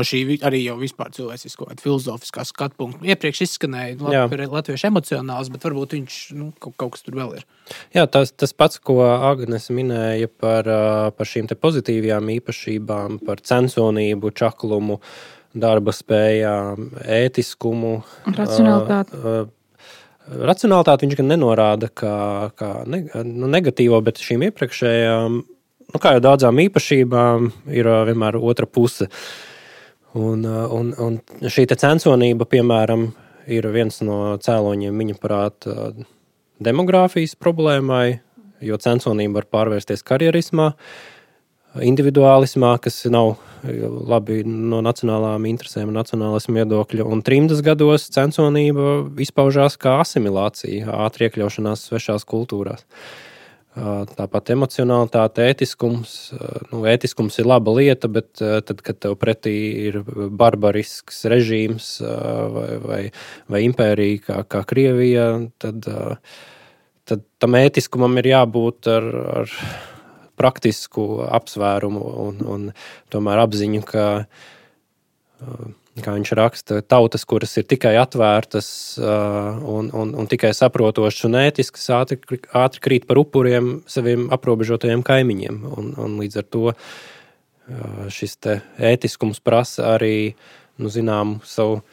šī arī jau vispār cilvēcisko filozofiskā skatu punktu. Iepriekš izskanēja latviešu emocionāls, bet varbūt viņš kaut kas tur vēl ir. Jā, tas pats, ko Agnes minēja par šīm te pozitīvajām īpašībām, par censonību, čaklumu, darba spējām, ētiskumu. Racionalitāti. Racionalitāti viņš gan nenorāda kā negatīvo, bet šīm iepriekšējām, kā jau daudzām īpašībām, ir vienmēr otra puse. Un šī te censonība, piemēram, ir viens no cēloņiem viņa prāt demogrāfijas problēmai, jo censonība var pārvērsties karjerismā, individuālismā, kas nav labi no nacionālām interesēm un nacionālismu viedokļa. Un 30 gados censonība izpaužās kā asimilācija, ātri iekļaušanās svešās kultūrās. Tāpat emocionalitāte, ētiskums. Ētiskums ir laba lieta, bet tad, kad tev pretī ir barbarisks režīms vai impērija kā Krievija, tad tam ētiskumam ir jābūt ar praktisku apsvērumu un tomēr apziņu, ka kā viņš raksta, tautas, kuras ir tikai atvērtas un tikai saprotošas un ētiskas, ātri krīt par upuriem saviem aprobežotajiem kaimiņiem. Un līdz ar to šis te ētiskums prasa arī, zinām, savu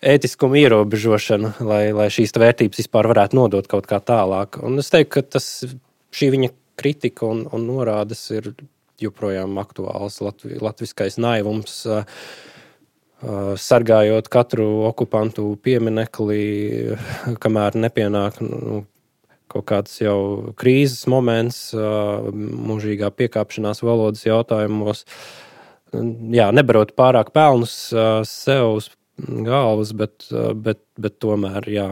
ētiskumu ierobežošanu, lai šīs vērtības vispār varētu nodot kaut kā tālāk. Un es teiktu, ka šī viņa kritika un norādes ir joprojām aktuāls latviskais naivums, sargājot katru okupantu pieminekli, kamēr nepienāk kaut kāds jau krīzes moments, mūžīgā piekāpšanās valodas jautājumos. Jā, nebarot pārāk pelnus sev uz galvas, bet tomēr, jā,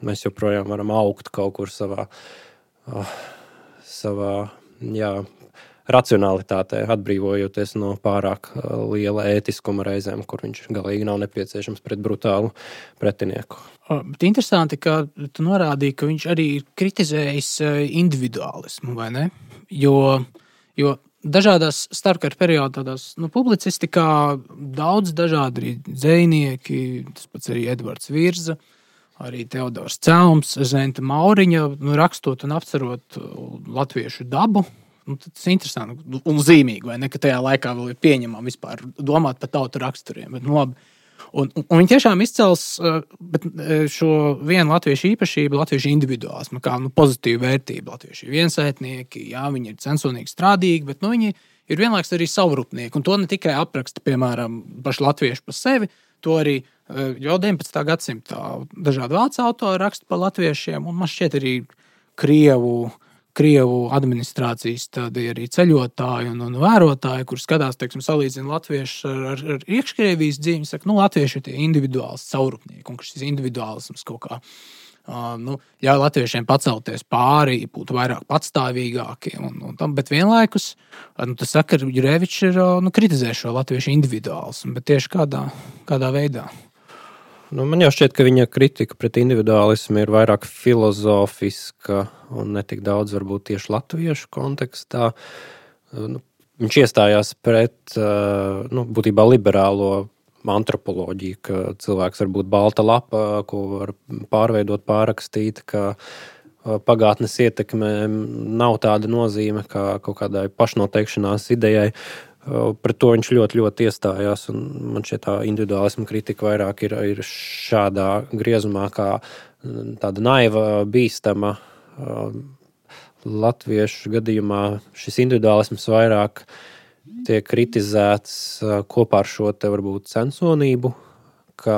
mēs joprojām varam augt kaut kur savā racionalitātē, atbrīvojoties no pārāk liela ētiskuma reizēm, kur viņš galīgi nav nepieciešams pret brutālu pretinieku. Bet interesanti, ka tu norādīji, ka viņš arī kritizējis individuālismu, vai ne? Jo dažādās starpkara periodās publicistikā daudz dažādi arī dzejnieki, tas pats arī Edvards Virza, arī Teodors Celms, Zenta Mauriņa, rakstot un apcerot latviešu dabu. Tas ir interesanti un zīmīgi, vai ne, ka tajā laikā vēl ir pieņemama vispār domāt par tautu raksturiem. Bet, labi. Un viņi tiešām izcels šo vienu latviešu īpašību, latviešu individuālismu, kā pozitīvu vērtību. Latvieši ir viensētnieki, jā, viņi ir censonīgi strādīgi, bet viņi ir vienlaiks arī savrupnieki. Un to ne tikai apraksta, piemēram, paši latvieši pa sevi, to arī jau 19. gadsimtā dažādi vācu autori raksta par latviešiem, un man šķiet arī Krievu administrācijas tādi arī ceļotāji un vērotāji, kur skatās, teiksim, salīdzina latviešus ar iekškrievijas dzīvi, saka, latvieši ir tie individuāls savrupnieki, un ka šis individuālisms kaut kā ļauj latviešiem pacelties pāri, būt vairāk patstāvīgāki, bet vienlaikus, tas saka, Jurevičs ir kritizē šo latviešu individuālismu, bet tieši kādā veidā. Man jau šķiet, ka viņa kritika pret individuālismu ir vairāk filozofiska un ne tik daudz varbūt tieši latviešu kontekstā. Viņš iestājās pret būtībā liberālo antropoloģiju, ka cilvēks var būt balta lapa, ko var pārveidot, pārrakstīt, ka pagātnes ietekme nav tāda nozīme kā kaut kādai pašnoteikšanās idejai. Pret to viņš ļoti, ļoti iestājās, un man šķiet tā individuālisma kritika vairāk ir šādā griezumā, kā tāda naiva, bīstama. Latviešu gadījumā šis individuālisms vairāk tiek kritizēts kopā ar šo te varbūt censonību, ka,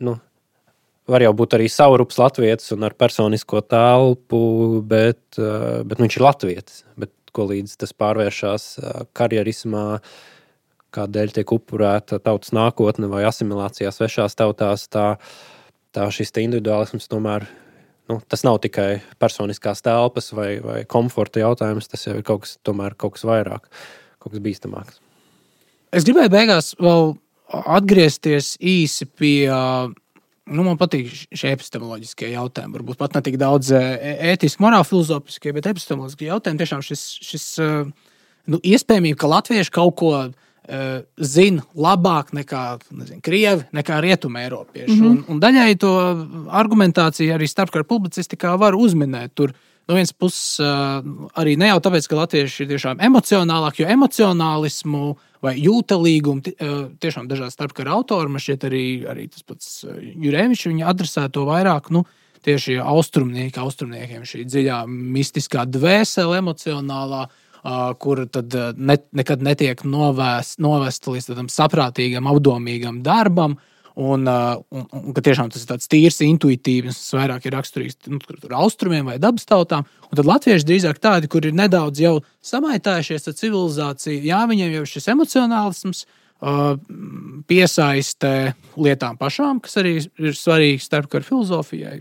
var jau būt arī savrups latvietis un ar personisko telpu, bet viņš ir latvietis, bet ko līdz tas pārvēršās karjerismā, kādēļ tiek upurēta tautas nākotne vai asimilācijā svešās tautās, tā šis te individuālisms tomēr, tas nav tikai personiskās telpas vai komforta jautājums, tas jau ir kaut kas vairāk, kaut kas bīstamāks. Es gribēju beigās vēl atgriezties īsi pie, man patīk šie epistemoloģiskie jautājumi, varbūt pat ne tik daudz ētiski, morāli filozofiskie, bet epistemoloģiskie jautājumi, tiešām šis iespējamība, ka latvieši kaut ko zina labāk nekā, krievi, nekā rietuma eiropieši. Un daļai to argumentāciju arī starpkara publicistikā var uzminēt. Tur no vienas puses arī ne jau tāpēc, ka latvieši ir tiešām emocionālāki, jo emocionālismu vai jūtalīgumu tiešām dažādi starpkara autori, man šķiet arī tas pats Jurevičs, viņi adresē to vairāk, tieši austrumniekiem šī dziļā mistiskā dvēsele emocionālā, kura tad nekad netiek novesta līdz tādam saprātīgam, apdomīgam darbam, un ka tiešām tas ir tāds tīrs intuitīvs, tas vairāk ir raksturīgs austrumiem vai dabas tautām, un tad latvieši drīzāk tādi, kur ir nedaudz jau samaitājušies ar civilizāciju, jā, viņiem jau šis emocionālisms piesaistē lietām pašām, kas arī ir svarīgi starpkara filozofijai.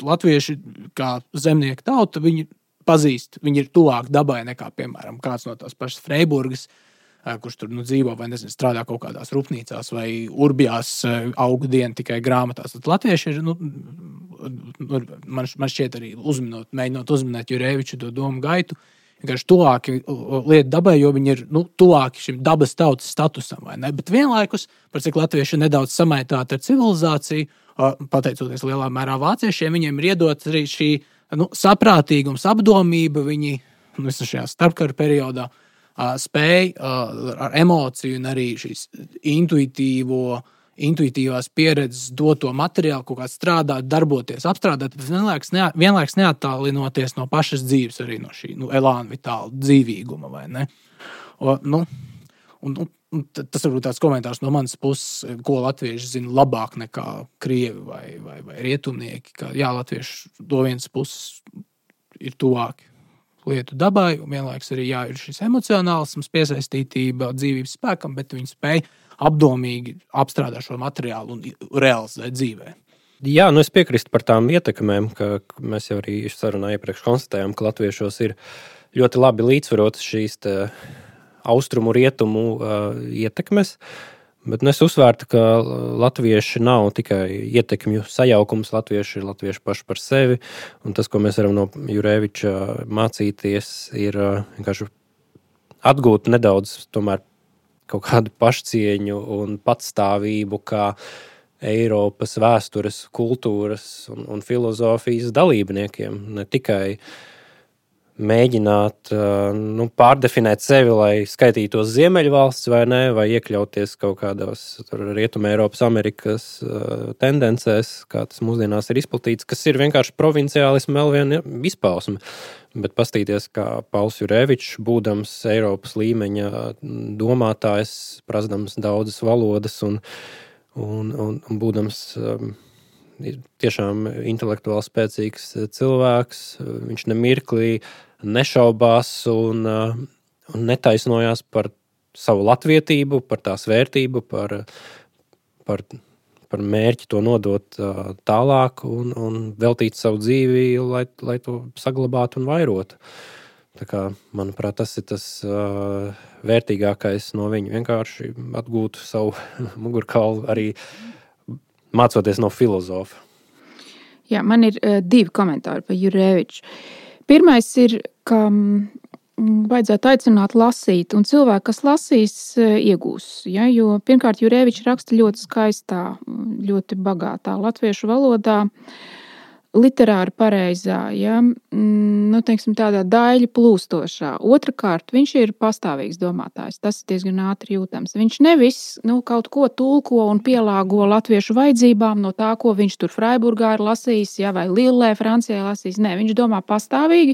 Latvieši kā zemnieku tauta, viņi pazīst, viņi ir tuvāk dabai nekā, piemēram, kāds no tās pašas Freiburgas, kurš tur dzīvo vai strādā kaut kādās rūpnīcās vai urbjās augu dienu tikai grāmatās. Tad latvieši ir, man šķiet arī mēģinot uzminēt Jureviču to domu gaitu, vienkārši tuvāki lietu dabai, jo viņi ir tuvāki šim dabas tautas statusam, vai ne? Bet vienlaikus, par cik latvieši ir nedaudz samaitāti ar civilizāciju, pateicoties lielā mērā vāciešiem, viņiem ir iedots arī šī saprātīgums, apdomība, viņi visā šajā starpkara periodā spēja ar emociju un arī šīs intuitīvās pieredzes doto materiālu kaut kā strādāt, darboties, apstrādāt, bet vienlaiks neattālinoties no pašas dzīves, arī no šī elāna vitāla dzīvīguma, vai ne? Un tas varbūt tāds komentārs no manas puses, ko latvieši zina labāk nekā krievi vai rietumnieki, ka latvieši no vienas puses ir tuvāki lietu dabai, un vienlaiks arī ir šis emocionālisms, piesaistītība dzīvības spēkam, bet viņi spēj apdomīgi apstrādāt šo materiālu un realizēt dzīvē. Jā, es piekrīstu par tām ietekmēm, ka mēs jau arī sarunā iepriekš konstatējām, ka latviešos ir ļoti labi līdzsvarotas šīs austrumu rietumu ietekmes, bet es uzsvērtu, ka latvieši nav tikai ietekmju sajaukums, latvieši ir latvieši paši par sevi, un tas, ko mēs varam no Jureviča mācīties, ir vienkārši atgūt nedaudz tomēr kaut kādu pašcieņu un patstāvību, kā Eiropas vēstures, kultūras un filozofijas dalībniekiem, ne tikai mēģināt pārdefinēt sevi, lai skaitītos Ziemeļvalsts vai ne, vai iekļauties kaut kādās Rietuma Eiropas, Amerikas tendencēs, kā tas mūsdienās ir izplatīts, kas ir vienkārši provinciālismu vēl viena izpausme. Bet pastīties, kā Pauls Jurevičs, būdams Eiropas līmeņa domātājs, prasdams daudzas valodas un būdams tiešām intelektuāli spēcīgs cilvēks, viņš nemirklī nešaubās un netaisnojās par savu latvietību, par tās vērtību, par mērķi to nodot tālāk un veltīt savu dzīvi, lai to saglabātu un vairotu. Tā kā, manuprāt, tas ir tas vērtīgākais no viņa. Vienkārši atgūt savu mugurkaulu arī mācoties no filozofa. Jā, man ir 2 komentāri par Jureviču. Pirmais ir, ka vajadzētu aicināt lasīt, un cilvēki, kas lasīs, iegūs. Ja? Jo pirmkārt, Jurevičs raksta ļoti skaistā, ļoti bagātā latviešu valodā, literāri pareizā, ja? Teiksim, tādā daļa plūstošā. Otrakārt, viņš ir pastāvīgs domātājs. Tas ir diezgan ātri jūtams. Viņš nevis kaut ko tulko un pielāgo latviešu vajadzībām no tā, ko viņš tur Freiburgā ir lasījis, ja? Vai Lillē, Francijā lasījis. Nē, viņš domā pastāvīgi.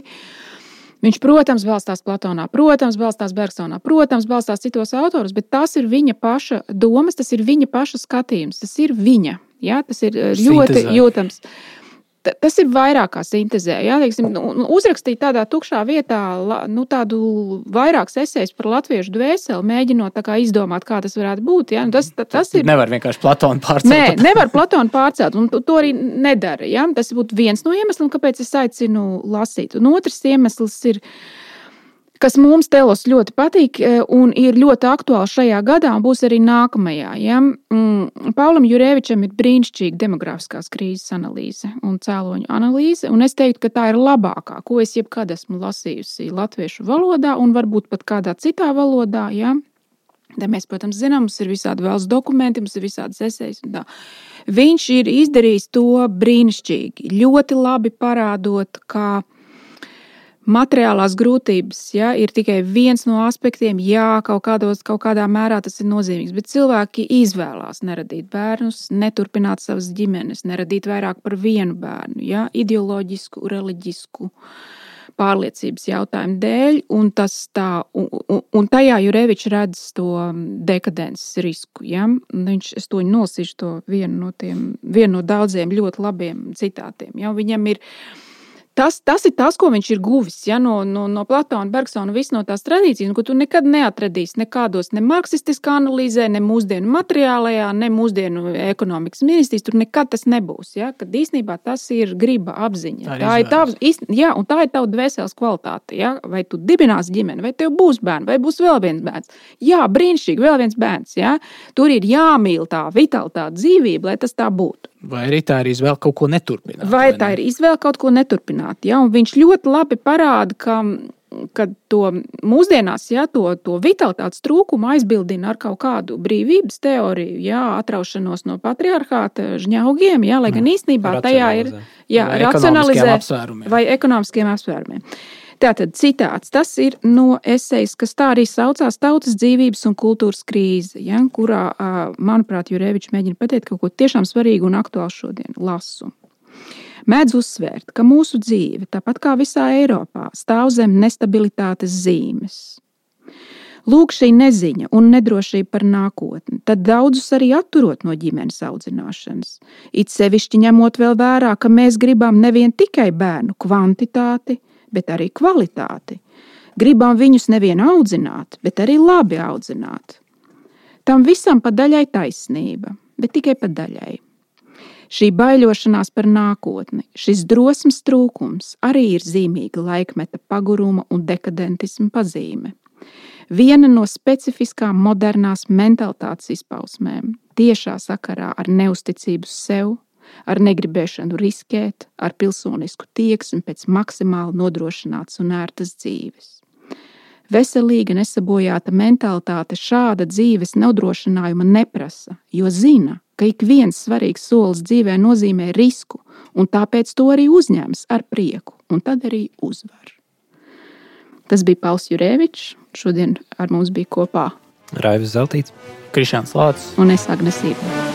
Viņš, protams, balstās Platonā, protams, balstās Bergsonā, protams, balstās citos autorus, bet tas ir viņa paša domas, tas ir viņa paša skatījums, tas ir viņa. Ja? Tas ir ļoti jūtams. Tas ir vairāk kā sintezē. Ja? Uzrakstīt tādā tukšā vietā tādu vairākas esejas par latviešu dvēseli, mēģinot tā kā izdomāt, kā tas varētu būt. Ja? Tas ir... Nevar vienkārši Platonu pārcelt. Nē, nevar Platonu pārcelt, un to arī nedara. Ja? Tas būtu viens no iemesliem, kāpēc es aicinu lasīt. Un otrs iemesls ir, kas mums telos ļoti patīk un ir ļoti aktuāli šajā gadā un būs arī nākamajā. Ja? Paulam Jurevičam ir brīnišķīga demografiskās krīzes analīze un cēloņu analīze, un es teiktu, ka tā ir labākā, ko es jebkad esmu lasījusi latviešu valodā un varbūt pat kādā citā valodā. Ja? Tā mēs, protams, zinām, mums ir visādi valsts dokumenti, mums ir visādas esejas un tā. Viņš ir izdarījis to brīnišķīgi, ļoti labi parādot, kā materiālās grūtības, ja, ir tikai viens no aspektiem, kaut kādā mērā tas ir nozīmīgs, bet cilvēki izvēlās neradīt bērnus, neturpināt savas ģimenes, neradīt vairāk par vienu bērnu, ja, ideoloģisku, reliģisku pārliecības jautājumu dēļ, un tajā Jurevičs redz to dekadences risku. Ja. Es to nolasīšu to vienu no daudziem ļoti labiem citātiem. Ja. Viņam ir Tas ir tas, ko viņš ir guvis, ja, no Platona, Bergsona, visu no tās tradīcijas, ko tu nekad neatradīsi nekādos ne marksistiskā analīzē, ne mūsdienu materiālajā, ne mūsdienu ekonomikas ministrijas, tur nekad tas nebūs, ja, kad īstenībā tas ir griba apziņa. Tā ir tava dvēseles kvalitāte, ja, vai tu dibināsi ģimeni, vai tev būs bērni, vai būs vēl viens bērns. Jā, brīnišķīgi, vēl viens bērns, ja. Tur ir jāmīl tā vitalitāte dzīvība, lai tas tā būtu. Vai arī tā ir izvēle kaut ko neturpināt? Vai tā ir izvēle kaut ko neturpināt, ja? Un viņš ļoti labi parāda, ka kad to mūsdienās, to vitalitātes trūkumu aizbildina ar kaut kādu brīvības teoriju, atraušanos no patriarchāta žņaugiem, lai gan īstenībā tajā ir racionalizē vai ekonomiskiem apsvērumiem. Tātad citāts, tas ir no esejas, kas tā arī saucās Tautas dzīvības un kultūras krīze, kurā, manuprāt, Jurevičs mēģina pateikt kaut ko tiešām svarīgu un aktuālu šodien. Lasu. Mēdz uzsvērt, ka mūsu dzīve, tāpat kā visā Eiropā, stāv zem nestabilitātes zīmes. Lūk, šī neziņa un nedrošība par nākotni, tad daudzus arī atturot no ģimenes audzināšanas. It sevišķi ņemot vēl vērā, ka mēs gribam nevien tikai bērnu kvantitāti, bet arī kvalitāti. Gribam viņus nevien audzināt, bet arī labi audzināt. Tam visam pa daļai taisnība, bet tikai pa daļai. Šī baiļošanās par nākotni, šis drosmes trūkums arī ir zīmīga laikmeta paguruma un dekadentisma pazīme. Viena no specifiskām modernās mentalitātes izpausmēm, tiešā sakarā ar neusticību sev, ar negribēšanu riskēt, ar pilsonisku tieksmi pēc maksimāli nodrošinātas un ērtas dzīves. Veselīga, nesabojāta mentalitāte šāda dzīves nodrošinājuma neprasa, jo zina, ka ik viens svarīgs solis dzīvē nozīmē risku, un tāpēc to arī uzņems ar prieku, un tad arī uzvar. Tas bija Pauls Jurevičs, šodien ar mums bija kopā Raivis Zeltīts, Krišjāns Lācis un es Agne Sība.